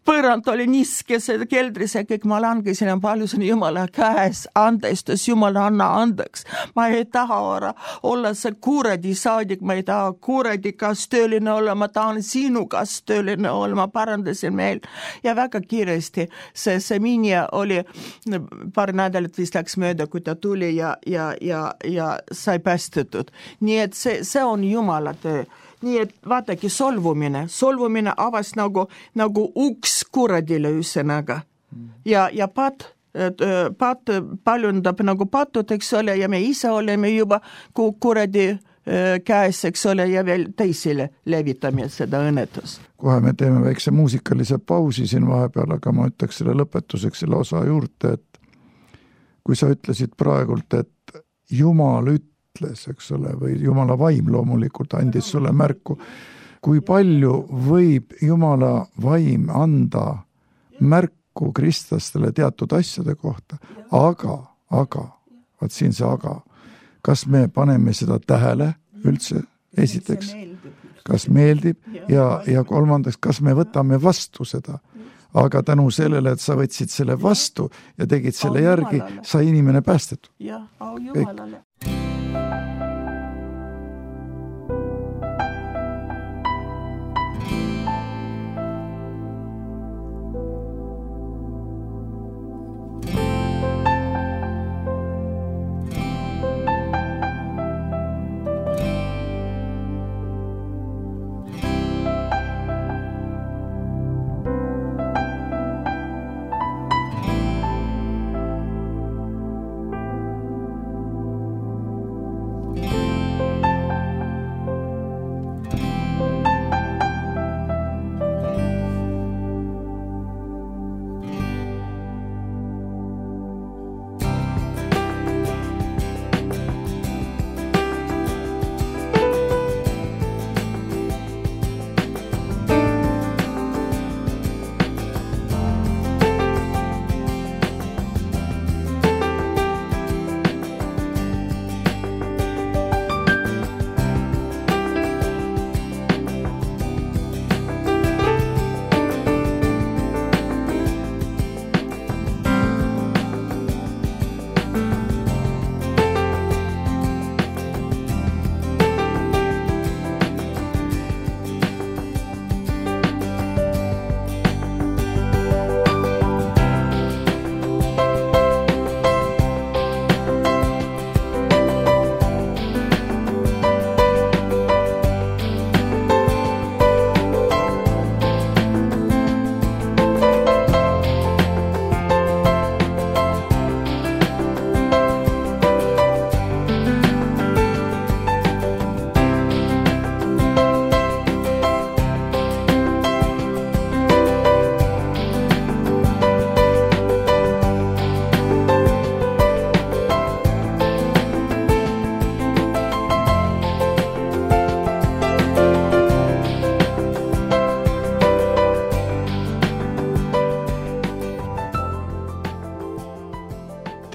põrand oli niske, see keldris ja kõik ma langesin ja palusin Jumala käes andestus, Jumal anna andeks. Ma ei taha olla, olla see kuradi saadik, ma ei taha kuradi kastööline olla, ma tahan sinu kastööline olla, ma parandasin meil. Ja väga kiiresti see, see minja oli, paar nädalat vist läks mööda, kui ta tuli ja, ja, ja, ja sai päästetud. Nii et see, see on Jumala töö. Nii et vaatagi solvumine, solvumine avas nagu, nagu uks kuradile üssenaga. Ja, ja pat, pat paljundab nagu patud, eks ole, ja me ise oleme juba kuradi käes, eks ole, ja veel teisile levitame seda õnnetus. Kohe me teeme väikse muusikalise pausi siin vahepeal, aga ma ütleks selle lõpetuseks selle osa juurde, et kui sa ütlesid praegult, et Jumal ütleb, eks ole, või Jumala vaim loomulikult andis sulle märku. Kui palju võib Jumala vaim anda märku kristlastele teatud asjade kohta, aga, aga, vaat siin see aga, kas me paneme seda tähele üldse esiteks, kas meeldib ja, ja kolmandaks, kas me võtame vastu seda, aga tänu sellele, et sa võtsid selle vastu ja tegid selle järgi, sai inimene päästetud. Jah, au Jumalale.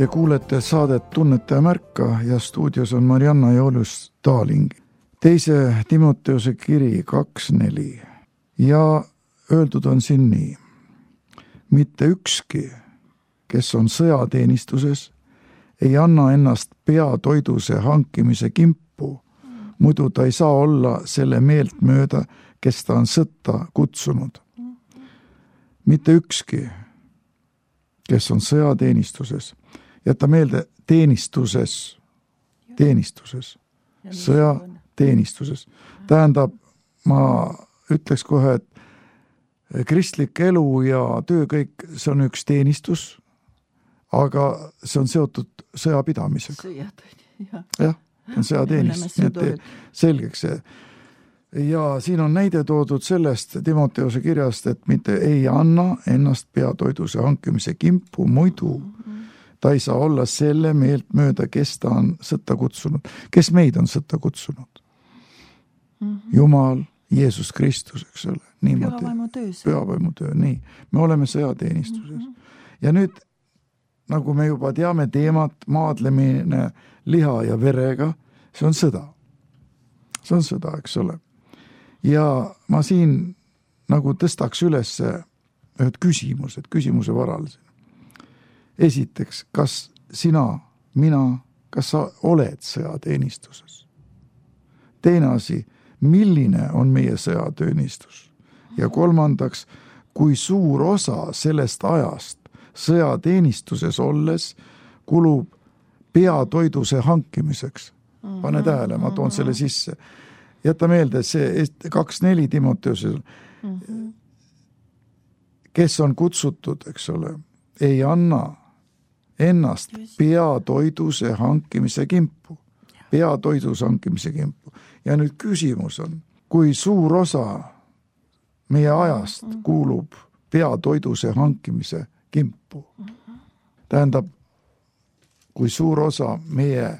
Te kuulete saadet Tunnete ja märka ja stuudios on Marianna Joolius Taaling. Teise Timoteuse kiri kaks neli ja öeldud on siin nii. Mitte ükski, kes on sõjateenistuses, ei anna ennast peatoiduse hankimise kimpu, muidu ta ei saa olla selle meelt mööda, kes ta on sõtta kutsunud. Mitte ükski, kes on sõjateenistuses, jätta meelde teenistuses, teenistuses, sõjateenistuses. Tähendab, ma ütleks kohe, et kristlik elu ja töö kõik, see on üks teenistus, aga see on seotud sõjapidamisega. Sõjad, jah, on sõjateenistus, nii et selgeks see. Ja siin on näide toodud sellest Timoteuse kirjast, et mitte ei anna ennast peatoiduse hankimise kimpu, muidu ta ei saa olla selle meelt mööda, kes ta on sõtta kutsunud. Kes meid on sõtta kutsunud? Jumal, Jeesus Kristus, eks ole. Pühavaimu töö, nii. Me oleme sõjateenistuses. Ja nüüd, nagu me juba teame teemat, maadlemine liha ja verega, see on sõda. see on sõda, eks ole. Ja ma siin nagu tõstaks üles ühed küsimused, küsimuse varal. Esiteks, kas sina, mina, kas sa oled sõjateenistuses? Teine asi, milline on meie sõjateenistus? Ja kolmandaks, kui suur osa sellest ajast sõjateenistuses olles kulub peatoiduse hankimiseks? Pane tähele, ma toon selle sisse. Jäta meelde, see kaks neli Timoteuse, kes on kutsutud, eks ole, ei anna ennast peatoiduse hankimise kimpu. Peatoiduse hankimise kimpu. Ja nüüd küsimus on, kui suur osa meie ajast kuulub peatoiduse hankimise kimpu. Tähendab, kui suur osa meie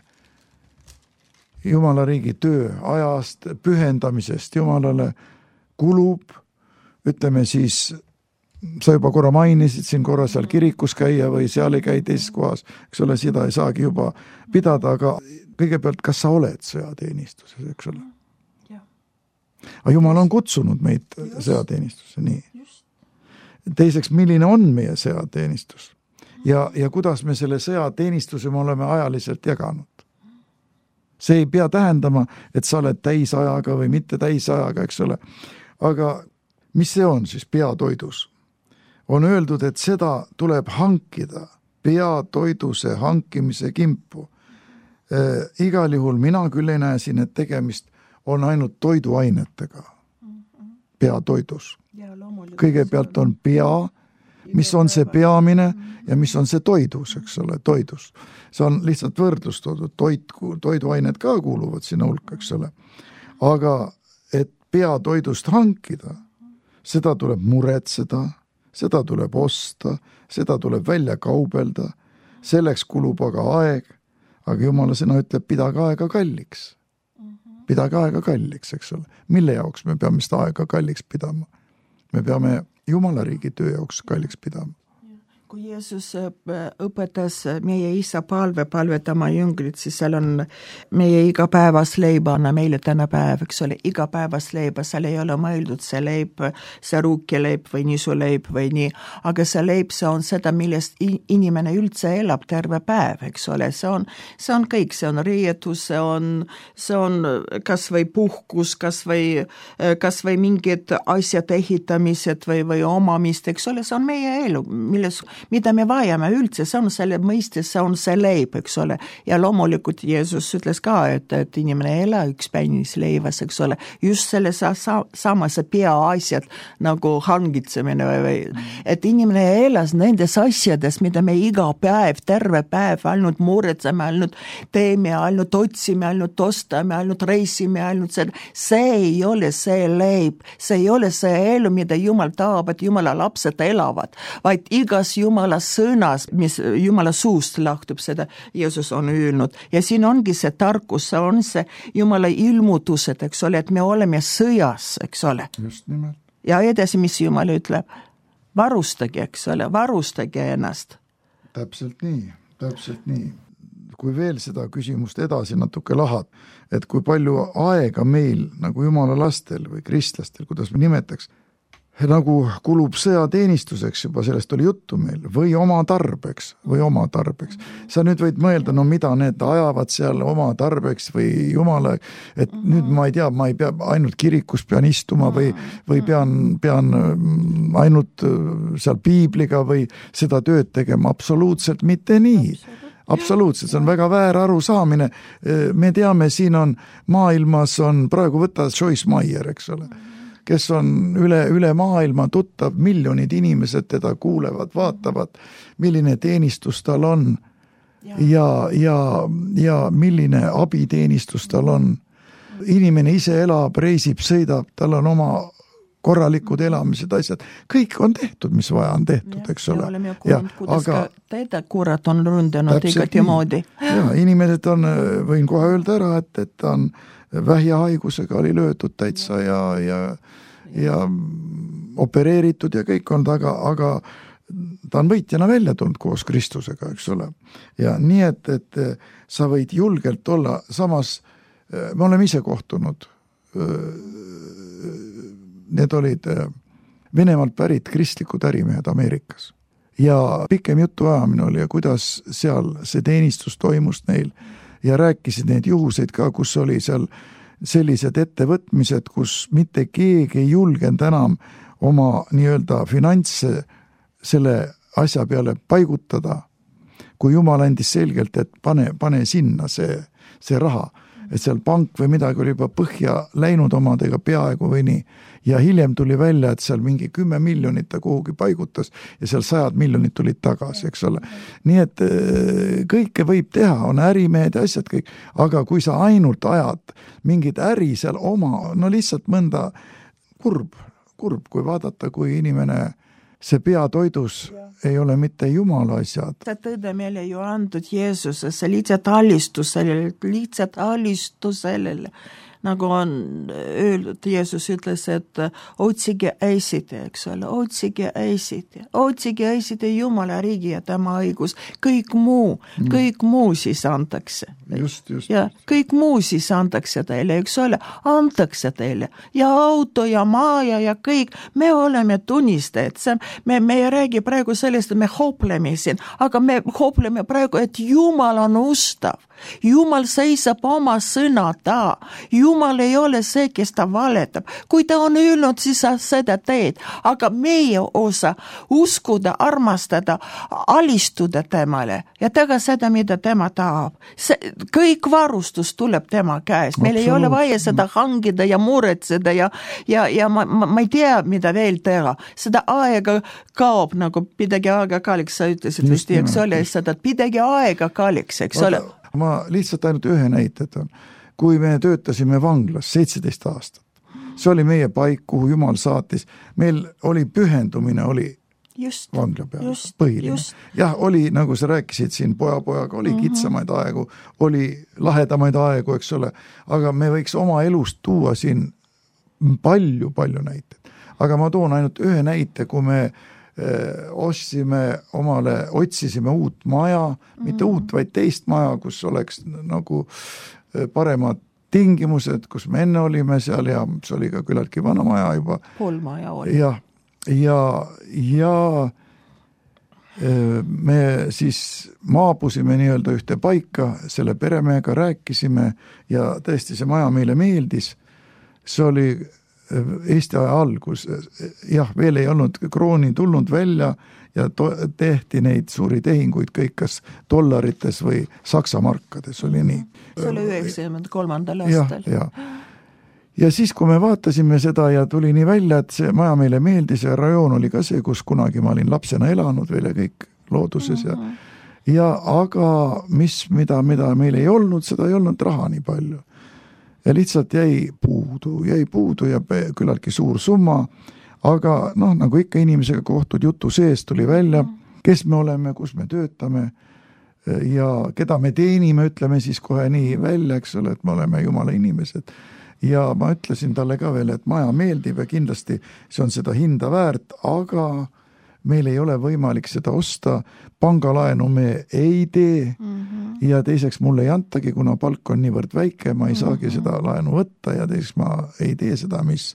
Jumala riigi töö ajast, pühendamisest Jumalale kulub, ütleme siis, sa juba korra mainisid siin korra seal kirikus käia või seal ei käi teises kohas, eks ole, seda ei saagi juba pidada, aga kõigepealt, kas sa oled sõjateenistuses, eks ole? Aga Jumal on kutsunud meid sõjateenistuse, nii. Teiseks, milline on meie sõjateenistus? Ja, ja kuidas me selle sõjateenistuse me oleme ajaliselt jaganud? See ei pea tähendama, et sa oled täisajaga või mitte täisajaga, eks ole. Aga mis see on siis peatoidus? On öeldud, et seda tuleb hankida, peatoiduse hankimise kimpu. Äh, igal juhul mina küll ei näe siin, et tegemist on ainult toiduainetega peatoidus. Kõigepealt on pea, mis on see peamine ja mis on see toidus, eks ole, toidus. See on lihtsalt võrdlus toodud, toit, toiduained ka kuuluvad sinna hulka, eks ole. Aga et peatoidust hankida, seda tuleb muretseda, seda tuleb osta, seda tuleb välja kaubelda, selleks kulub aga aeg, aga Jumala sõna ütleb, pidage aega kalliks. Pidage aega kalliks, eks ole. Mille jaoks me peame seda aega kalliks pidama? Me peame Jumala riigi töö jaoks kalliks pidama. Kui Jeesus õpetas meie isa palve palvetama jüngrid, siis seal on meie igapäevas leiba, anna meile täna päev, eks ole, igapäevas leiba, seal ei ole mõeldud see leib, see ruukileib või nisuleib või nii, aga see leib, see on seda, millest inimene üldse elab terve päev, eks ole, see on, see on kõik, see on riietus, see on, see on kas või puhkus, kas või, kas või mingid asjad ehitamised või, või omamist, eks ole, see on meie elu, milles mida me vajame üldse, see on selle mõistes, see on see leib, eks ole. Ja loomulikult Jeesus ütles ka, et, et inimene ei ela üks päinis leivas, eks ole. Just selle sa, sa, samase pea asjad nagu hangitsemine või, või et inimene elas nendes asjades, mida me iga päev, terve päev ainult muretseme, ainult teeme, ainult otsime, ainult ostame, ainult reisime, ainult seda. See ei ole see leib, see ei ole see elu, mida Jumal tahab, et Jumala lapsed elavad, vaid igas Jumala sõnas, mis Jumala suust lahtub, seda Jeesus on öelnud. Ja siin ongi see tarkus, see on see Jumala ilmutused, eks ole, et me oleme sõjas, eks ole. Just nimelt. Ja edasi, mis Jumal ütleb, varustage, eks ole, varustage ennast. Täpselt nii, täpselt nii. Kui veel seda küsimust edasi natuke lahad, et kui palju aega meil nagu Jumala lastel või kristlastel, kuidas me nimetaks, nagu kulub sõjateenistuseks, juba sellest oli juttu meil, või oma tarbeks, või oma tarbeks. Sa nüüd võid mõelda, no mida need ajavad seal oma tarbeks või Jumala, et nüüd ma ei tea, ma ei pea ainult kirikus pean istuma või, või pean, pean ainult seal piibliga või seda tööd tegema. Absoluutselt mitte nii. Absoluutselt, see on väga väär arusaamine. Me teame, siin on maailmas on, praegu võtta Joyce Meyer, eks ole, kes on üle, üle maailma tuttav, miljonid inimesed teda kuulevad, vaatavad, milline teenistus tal on ja, ja, ja, ja milline abiteenistus tal on. Inimene ise elab, reisib, sõidab, tal on oma korralikud elamised, asjad. Kõik on tehtud, mis vaja on tehtud, eks ole. Ja oleme kuulnud, kuidas aga, ka teda kurat on ründanud igati moodi. Ja, inimesed on, võin kohe öelda ära, et, et ta on vähjahaigusega oli löötud täitsa ja, ja, ja opereeritud ja kõik on taga, aga ta on võitjana välja tulnud koos Kristusega, eks ole. Ja nii, et, et sa võid julgelt olla, samas me oleme ise kohtunud need olid Venemaalt pärit kristlikud ärimehed Ameerikas. Ja pikem jutu ajamine oli ja kuidas seal see teenistus toimus neil ja rääkisid neid juhuseid ka, kus oli seal sellised ettevõtmised, kus mitte keegi ei julgenud enam oma nii-öelda finantse selle asja peale paigutada, kui Jumal andis selgelt, et pane, pane sinna see, see raha. Et seal pank või midagi oli juba põhja läinud omadega peaaegu või nii. Ja hiljem tuli välja, et seal mingi kümme miljonit ta kuhugi paigutas ja seal sajad miljonid tulid tagasi, eks ole. Nii et kõike võib teha, on ärimehed ja asjad kõik, aga kui sa ainult ajad mingid äri seal oma, no lihtsalt mõnda kurb, kurb, kui vaadata, kui inimene see peatoidus ja. Ei ole mitte Jumala asjad. See tõde meile ju andud Jeesusesse, lihtsalt alistusele, lihtsalt alistusele. Nagu on öeldud, Jeesus ütles, et otsige eesite, eks ole, otsige eesite, otsige eesite Jumala riigi ja tema õigus, kõik muu, kõik muu siis antakse. Just, just. Ja kõik muu siis antakse teile, eks ole, antakse teile ja auto ja maja ja kõik, me oleme tunnistajad, me, me ei räägi praegu sellest, et me hoopleme siin, aga me hoopleme praegu, et Jumal on ustav. Jumal seisab oma sõna ta. Jumal ei ole see, kes ta valetab. Kui ta on öelnud, siis sa seda teed. Aga meie osa uskuda, armastada, alistuda temale ja teha seda, mida tema tahab. See, kõik varustus tuleb tema käest. Meil ei ole vaja seda hangida ja muretseda ja, ja, ja ma, ma, ma ei tea, mida veel teha. Seda aega kaob, nagu pidagi aega kalliks, sa ütlesid vist, eks ole, seda pidagi aega kalliks, eks ole. Ma lihtsalt ainult ühe näited on. Kui me töötasime vanglas seitseteist aastat, see oli meie paik, kuhu Jumal saatis. Meil oli pühendumine, oli just, vangla peal, just, põhiline. Just. Jah, oli, nagu sa rääkisid siin poja-pojaga, oli mm-hmm. kitsamaid aegu, oli lahedamaid aegu, eks ole, aga me võiks oma elust tuua siin palju-palju näiteid. Aga ma toon ainult ühe näite, kui me ostsime omale, otsisime uut maja, mitte mm. uut, vaid teist maja, kus oleks nagu paremad tingimused, kus me enne olime seal ja see oli ka küllaltki vana maja juba. Pool maja oli. Ja, ja, ja me siis maabusime nii-öelda ühte paika, selle peremehega rääkisime ja tõesti see maja meile meeldis. See oli Eesti aja algus, jah, veel ei olnud krooni tulnud välja ja to- tehti neid suuri tehinguid kõik kas dollarites või saksa markades, oli nii. See oli üheksakümmend kolmandal aastal. Ja, ja. ja siis, kui me vaatasime seda ja tuli nii välja, et see maja meile meeldis ja rajoon oli ka see, kus kunagi ma olin lapsena elanud veel ja kõik looduses ja, ja aga mis, mida, mida meil ei olnud, seda ei olnud raha nii palju. Ja lihtsalt jäi puudu, jäi puudu ja küllaltki suur summa, aga noh, nagu ikka inimesega kohtud jutu sees tuli välja, kes me oleme, kus me töötame ja keda me teenime, ütleme siis kohe nii välja, eks ole, et me oleme Jumala inimesed. Ja ma ütlesin talle ka veel, et maja meeldib ja kindlasti see on seda hinda väärt, aga meil ei ole võimalik seda osta, pangalaenu me ei tee mm-hmm. ja teiseks mulle ei antagi, kuna palk on niivõrd väike, ma ei saagi mm-hmm. seda laenu võtta ja teiseks ma ei tee seda, mis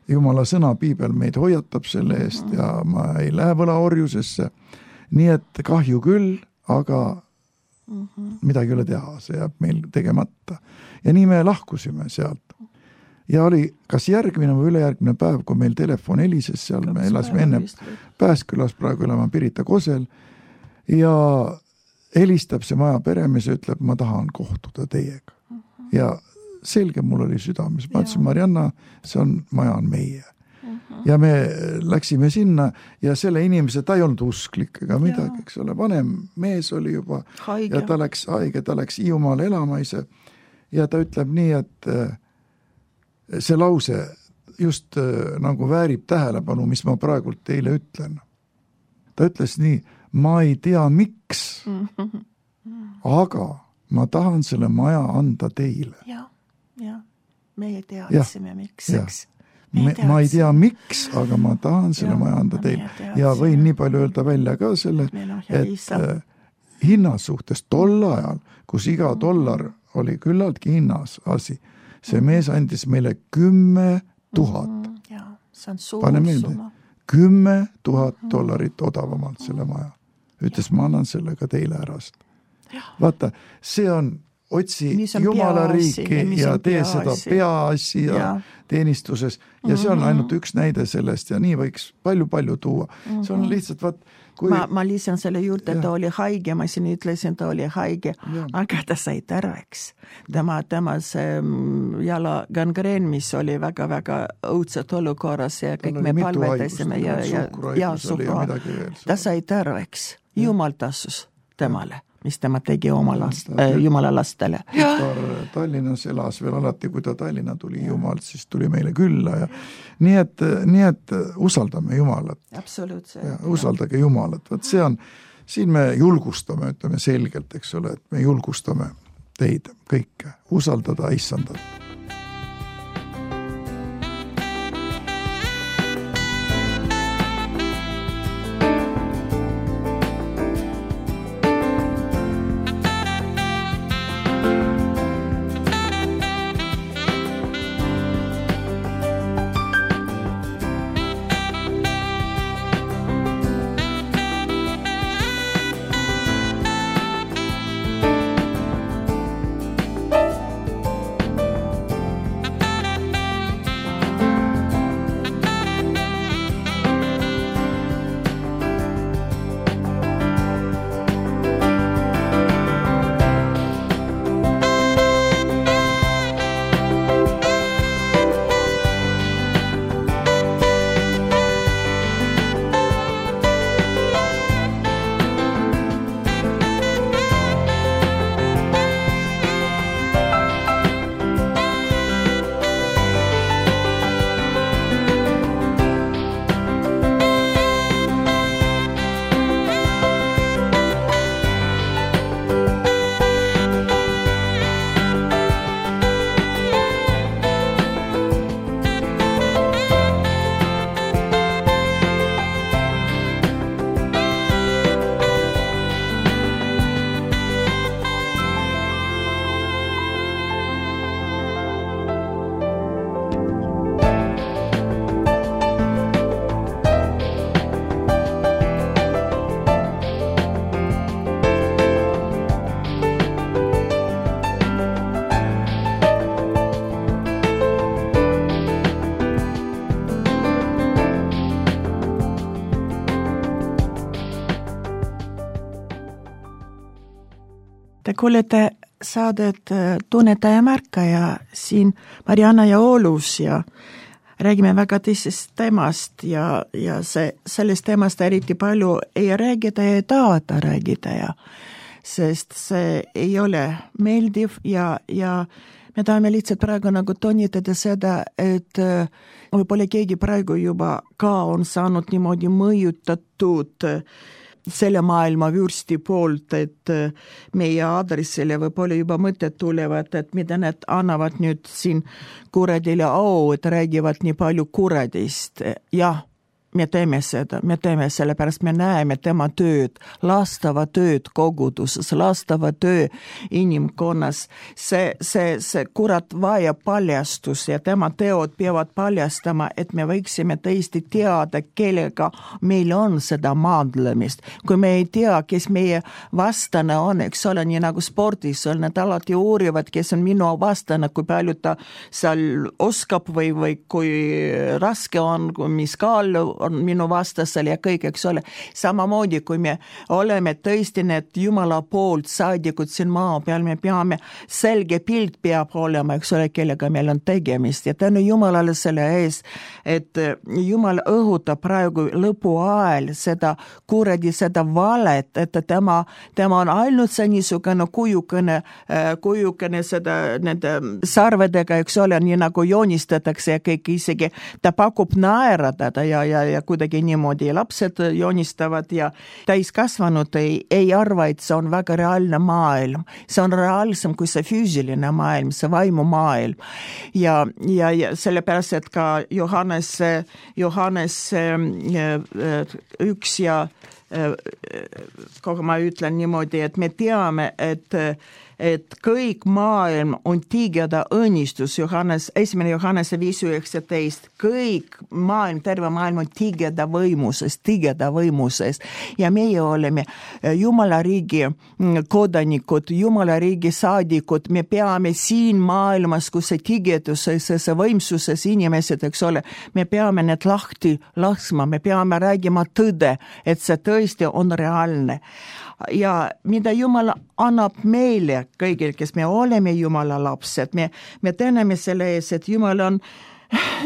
Jumala sõna, piibel meid hoiatab selle eest mm-hmm. ja ma ei lähe võlaorjusesse. Nii et kahju küll, aga mm-hmm. midagi ei ole teha, see jääb meil tegemata. Ja nii me lahkusime sealt. Ja oli kas järgmine või ülejärgmine päev, kui meil telefon helises seal, me elasime enne Pääskülas, praegu elame Pirita Kosel ja helistab see maja peremees ja ütleb, ma tahan kohtuda teiega. Uh-huh. Ja selge mul oli südames. Ma ütlesin, Marianna, see on, maja on meie. Uh-huh. Ja me läksime sinna ja selle inimese, ta ei olnud usklik ega midagi, eks ole, vanem mees oli juba haige. Ja ta läks haige, ta läks Hiiumaale elama ise ja ta ütleb nii, et see lause just nagu väärib tähelepanu, mis ma praegult teile ütlen. Ta ütles nii, ma ei tea miks, aga ma tahan selle maja anda teile. Ja, ja, meie teadsime miks, eks. Me, ma ei tea miks, aga ma tahan selle ja, maja anda teile. Ja võin nii palju öelda välja ka selle, et äh, hinnas suhtes tol ajal, kus iga dollar oli küllaltki hinnas asi, see mees andis meile kümme tuhat. Mm, ja, see on suur pane meelde, summa. kümme tuhat dollarit odavamalt selle maja. Ütles, ma annan selle ka teile ära. Vaata, see on otsi on Jumala riiki ja, ja tee seda peaassi ja, ja teenistuses ja see on ainult üks näide sellest ja nii võiks palju-palju tuua. See on lihtsalt, vaat, kui... Ma, ma lisan selle juurde, ta oli haige, ma siin ütlesin, ta oli haige, ja. Aga ta sai terveks. Tema, tema see jala gangreen, mis oli väga-väga õudset olukorras ja kõik me palvetasime ja, ja, ja suhkru. Ta sai terveks. Jumal tasus temale. Mis tema tegi oma last, äh, Jumala lastele. Tallinnas elas veel alati, kui ta Tallinna tuli Jumalt, siis tuli meile külla ja nii et, nii et usaldame Jumalat. Absoluutselt. Ja, usaldage Jumalat. Võt see on, siin me julgustame, ütleme selgelt, eks ole, et me julgustame teid kõike, usaldada Issandat. Te kuulete saadet Tunnetaja ja märkaja siin Marianna ja Oolus ja räägime väga tõsist teemast ja, ja see, sellest teemast eriti palju ei räägida ja ei taheta räägida ja sest see ei ole meeldiv ja, ja me tahame lihtsalt praegu nagu tonnitada seda, et võib-olla keegi praegu juba ka on saanud niimoodi mõjutatud selle maailma vürsti poolt, et meie aadressile võib-olla juba mõtted tulevad, et mida need annavad nüüd siin kuradile au, et räägivad nii palju kuradist. Jah, me teeme seda, me teeme selle pärast, me näeme tema tööd, lastava tööd koguduses, lastava töö inimkonnas. See, see, see kurat vajab paljastus ja tema teod peavad paljastama, et me võiksime tõesti teada, kellega meil on seda maadlemist. Kui me ei tea, kes meie vastane on, eks ole, nii nagu spordis on, nad alati uurivad, kes on minu vastane, kui palju ta seal oskab või, või kui raske on, mis kaal on minu vastasel ja kõik, eks ole. Samamoodi, kui me oleme tõesti need Jumala poolt saadikud siin maa peal, me peame, selge pilt peab olema, eks ole, kellega meil on tegemist. Ja tänu Jumalale selle ees, et Jumal õhutab praegu lõpu ajal seda kuradi, seda valet, et tema, tema on ainult see niisugune kujukene, kujukene seda nende sarvedega, eks ole, nii nagu joonistatakse ja kõik isegi, ta pakub naeratada ja, ja ja kuidagi niimoodi lapsed joonistavad ja täiskasvanud ei, ei arva, et see on väga reaalne maailm. See on reaalsem kui see füüsiline maailm, see vaimu maailm. Ja, ja, ja sellepärast, et ka Johannes, Johannes üks ja kogu ma ütlen niimoodi, et me teame, et et kõik maailm on tigeda õnnistus, Johannes, esimene Johannese viis üheksateist, kõik maailm, terve maailm on tigeda võimuses, tigeda võimuses ja meie oleme Jumala riigi kodanikud, Jumala riigi saadikud, me peame siin maailmas, kus see tigeduses, see võimsuses inimesed, eks ole, me peame need lahti laskma, me peame räägima tõde, et see tõesti on reaalne. Ja mida Jumal annab meile kõigil, kes me oleme Jumala lapsed, me, me täname selle ees, et Jumal on,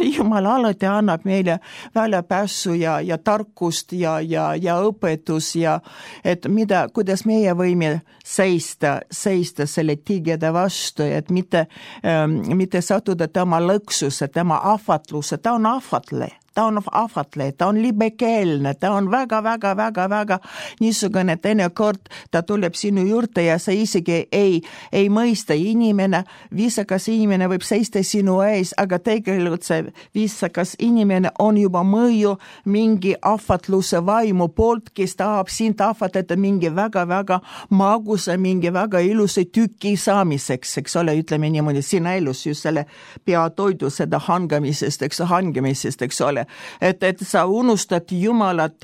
Jumal alati annab meile väljapääsu ja, ja tarkust ja, ja, ja õpetus ja et mida, kuidas meie võime seista, seista selle tigeda vastu, et mitte, ähm, mitte sattuda tema lõksuse, tema ahvatluse, ta on ahvatle. Ta on ahvatle, ta on libekeelne, ta on väga, väga, väga, väga niisugune teinekord, ta tuleb sinu juurde ja sa isegi ei, ei mõista inimene, viisakas inimene võib seista sinu ees, aga tegelikult see viisakas inimene on juba mõju mingi ahvatluse vaimu poolt, kes tahab sind ahvatleda mingi väga, väga magusa, mingi väga ilusa tüki saamiseks, eks ole, ütleme niimoodi, sina elus just selle peatoidu seda hangamisest, eks hangamisest, eks ole. Et, et sa unustad Jumalat,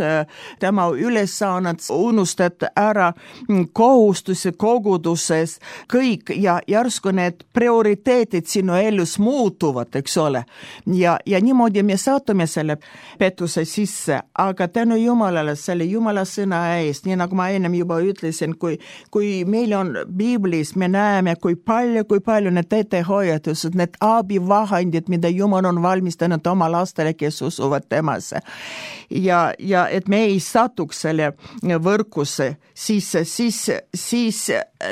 tema ülesannet, unustad ära kohustuse koguduses, kõik ja järsku need prioriteetid sinu elus muutuvad, eks ole. Ja, ja niimoodi me saatume selle pettuse sisse, aga tänu Jumalale, selle Jumala sõna eest, nii nagu ma ennem juba ütlesin, kui, kui meil on Biblis, me näeme, kui palju, kui palju need ettehoiatused, need abivahendid, mida Jumal on valmistanud oma lastele, kes usuvad temasse. Ja, ja et me ei satuks selle võrkusse, siis, siis, siis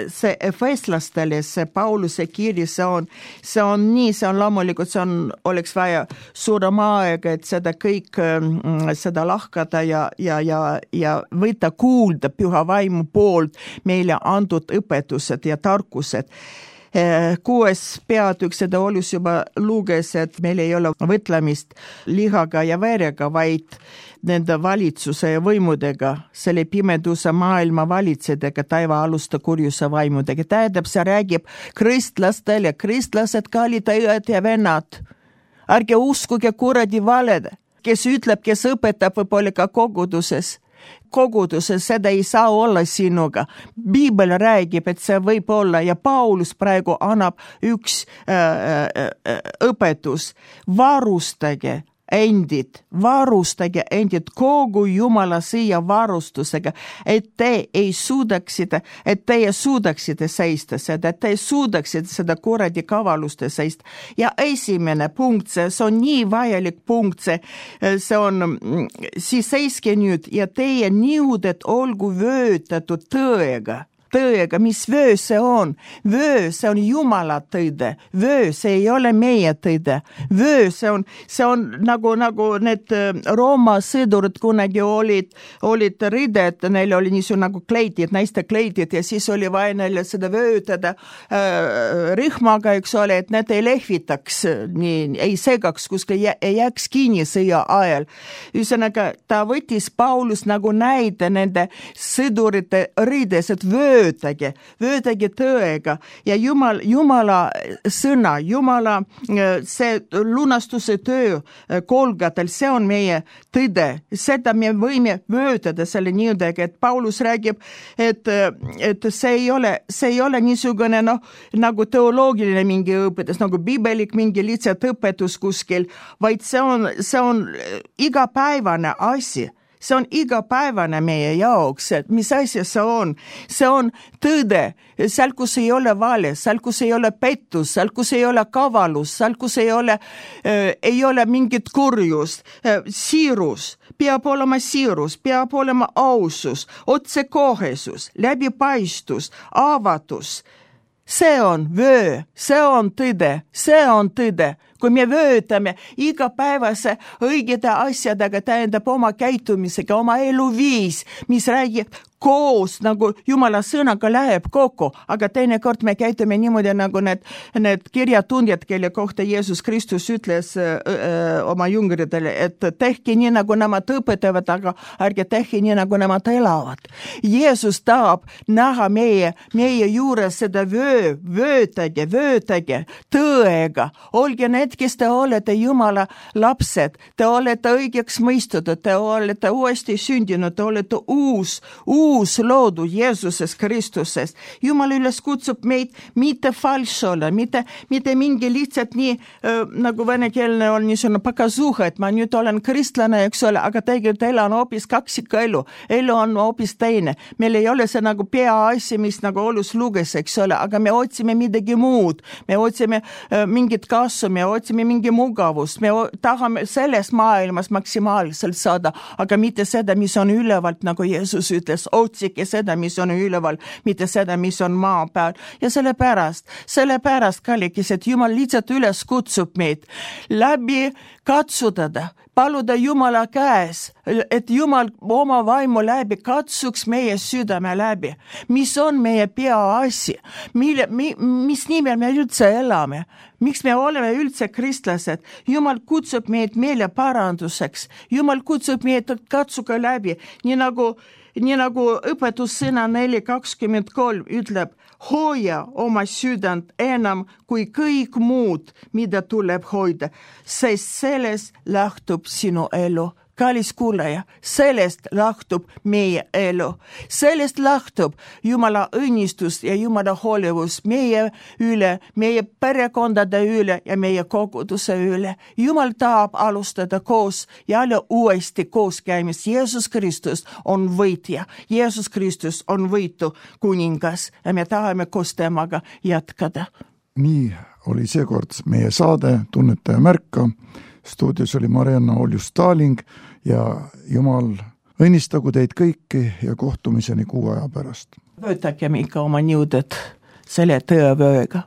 see efeslastele, see Pauluse kiri, see on, see on nii, see on loomulikult, see on, oleks vaja suurem aega, et seda kõik, seda lahkada ja, ja, ja, ja võtta kuulda püha vaimu poolt meile antud õpetused ja tarkused. Kuues peatükk seda olus juba luges, et meil ei ole võtlemist lihaga ja verega, vaid nende valitsuse ja võimudega, selle pimeduse maailma valitsedega, taivaaluste kurjuse vaimudega. Tähendab, see räägib kristlastele, kristlased, kallid õed ja vennad. Ärge uskuge kuradi valed, kes ütleb, kes õpetab võib-olla ka koguduses. Koguduses seda ei saa olla sinuga. Biibel räägib, et see võib olla ja Paulus praegu annab üks äh, äh, õpetus. Varustage endid, varustage endid kogu Jumala siia varustusega, et te ei suudaksite, et teie suudaksite seista seda, et te suudaksite seda kuradi kavaluste seista. Ja esimene punkt, see, see on nii vajalik punkt, see, see on, siis seiske nüüd ja teie niuded olgu vöötatud tõega. Tõega, mis vöö see on? Vöö, see on Jumala tõde. Vöö, see ei ole meie tõde. Vöö, see on, see on nagu, nagu need Rooma sõdurid kunagi olid, olid rided, neil oli niisugune nagu kleidid, naiste kleidid ja siis oli vaja neile seda vöötada äh, rihmaga, eks ole, et need ei lehvitaks, nii, ei segaks, kuskil ei jääks kinni sõja ajal. Ühesõnaga, ta võttis Paulus nagu näide nende sõdurite rides, et vöö Vöötage, vöötage tõega ja Jumal, Jumala sõna, Jumala see lunastuse töö kolgatel, see on meie tõde. Seda me võime vöötada selle niudega, et Paulus räägib, et, et see ei ole, see ei ole niisugune no, nagu teoloogiline mingi õpetus, nagu biibelik mingi lihtsalt õpetus kuskil, vaid see on, see on igapäevane asi. See on igapäevane meie jaoks, et mis asja see on. See on tõde, seal kus ei ole vale, seal kus ei ole pettus, seal kus ei ole kavalus, seal kus ei ole, äh, ei ole mingit kurjust, äh, siirus, peab olema siirus, peab olema ausus, otsekohesus, läbipaistus, avatus. See on vöö, see on tõde, see on tõde. kui me vöötame igapäevase õigete asjadega, tähendab oma käitumisega, oma eluviis, mis räägib koos, nagu Jumala sõnaga läheb kokku, aga teinekord me käitume niimoodi, nagu need, need kirjatundjad, kelle kohta Jeesus Kristus ütles öö, öö, oma jüngritele, et tehke nii, nagu nemad õpetavad, aga ärge tehke nii, nagu nemad elavad. Jeesus tahab näha meie, meie juures seda vöö, vöötage, vöötage tõega. Olge need, kes te olete Jumala lapsed, te olete õigeks mõistutud, te olete uuesti sündinud, te olete uus, uus uus loodu Jeesuses Kristuses. Jumal üles kutsub meid mitte falš olla, mitte, mitte mingi lihtsalt nii, äh, nagu venekeelne on niisugune pakasuha, et ma nüüd olen kristlane, eks ole, aga tegelikult elu on hoopis kaksika elu. Elu on hoopis teine. Meil ei ole see nagu peaasi, mis nagu olus luges, eks ole, aga me otsime midagi muud. Me otsime äh, mingit kasvu, me otsime mingi mugavust, me tahame selles maailmas maksimaalselt saada, aga mitte seda, mis on ülevalt, nagu Jeesus ütles, otsike seda, mis on üleval, mitte seda, mis on maa peal. Ja sellepärast, sellepärast, kallikis, et Jumal lihtsalt üles kutsub meid läbi katsutada, paluda Jumala käes, et Jumal oma vaimu läbi katsuks meie südame läbi. Mis on meie peaasi? Mille, mi, mis nimel me üldse elame? Miks me oleme üldse kristlased? Jumal kutsub meid meile paranduseks. Jumal kutsub meid katsuga läbi, nii nagu Nii nagu õpetussõna neli kakskümmend kolm ütleb, hoia oma südant enam kui kõik muud, mida tuleb hoida, sest sellest lähtub sinu elu. Kallis kuulaja, sellest lähtub meie elu. Sellest lähtub Jumala õnnistus ja Jumala hoolivus meie üle, meie perekondade üle ja meie koguduse üle. Jumal tahab alustada koos ja jälle uuesti koos käimist. Jeesus Kristus on võitja. Jeesus Kristus on võitu kuningas ja me tahame koos temaga jätkada. Nii oli seekord meie saade Tunnetaja märka. Stuudios oli Marianna Oljus-Staling ja Jumal õnnistagu teid kõiki ja kohtumiseni kuu aja pärast. Võtagem ikka oma nõuded selle tõevööga.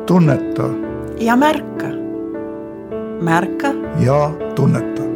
Tunneta ja märka. Märka ja tunneta.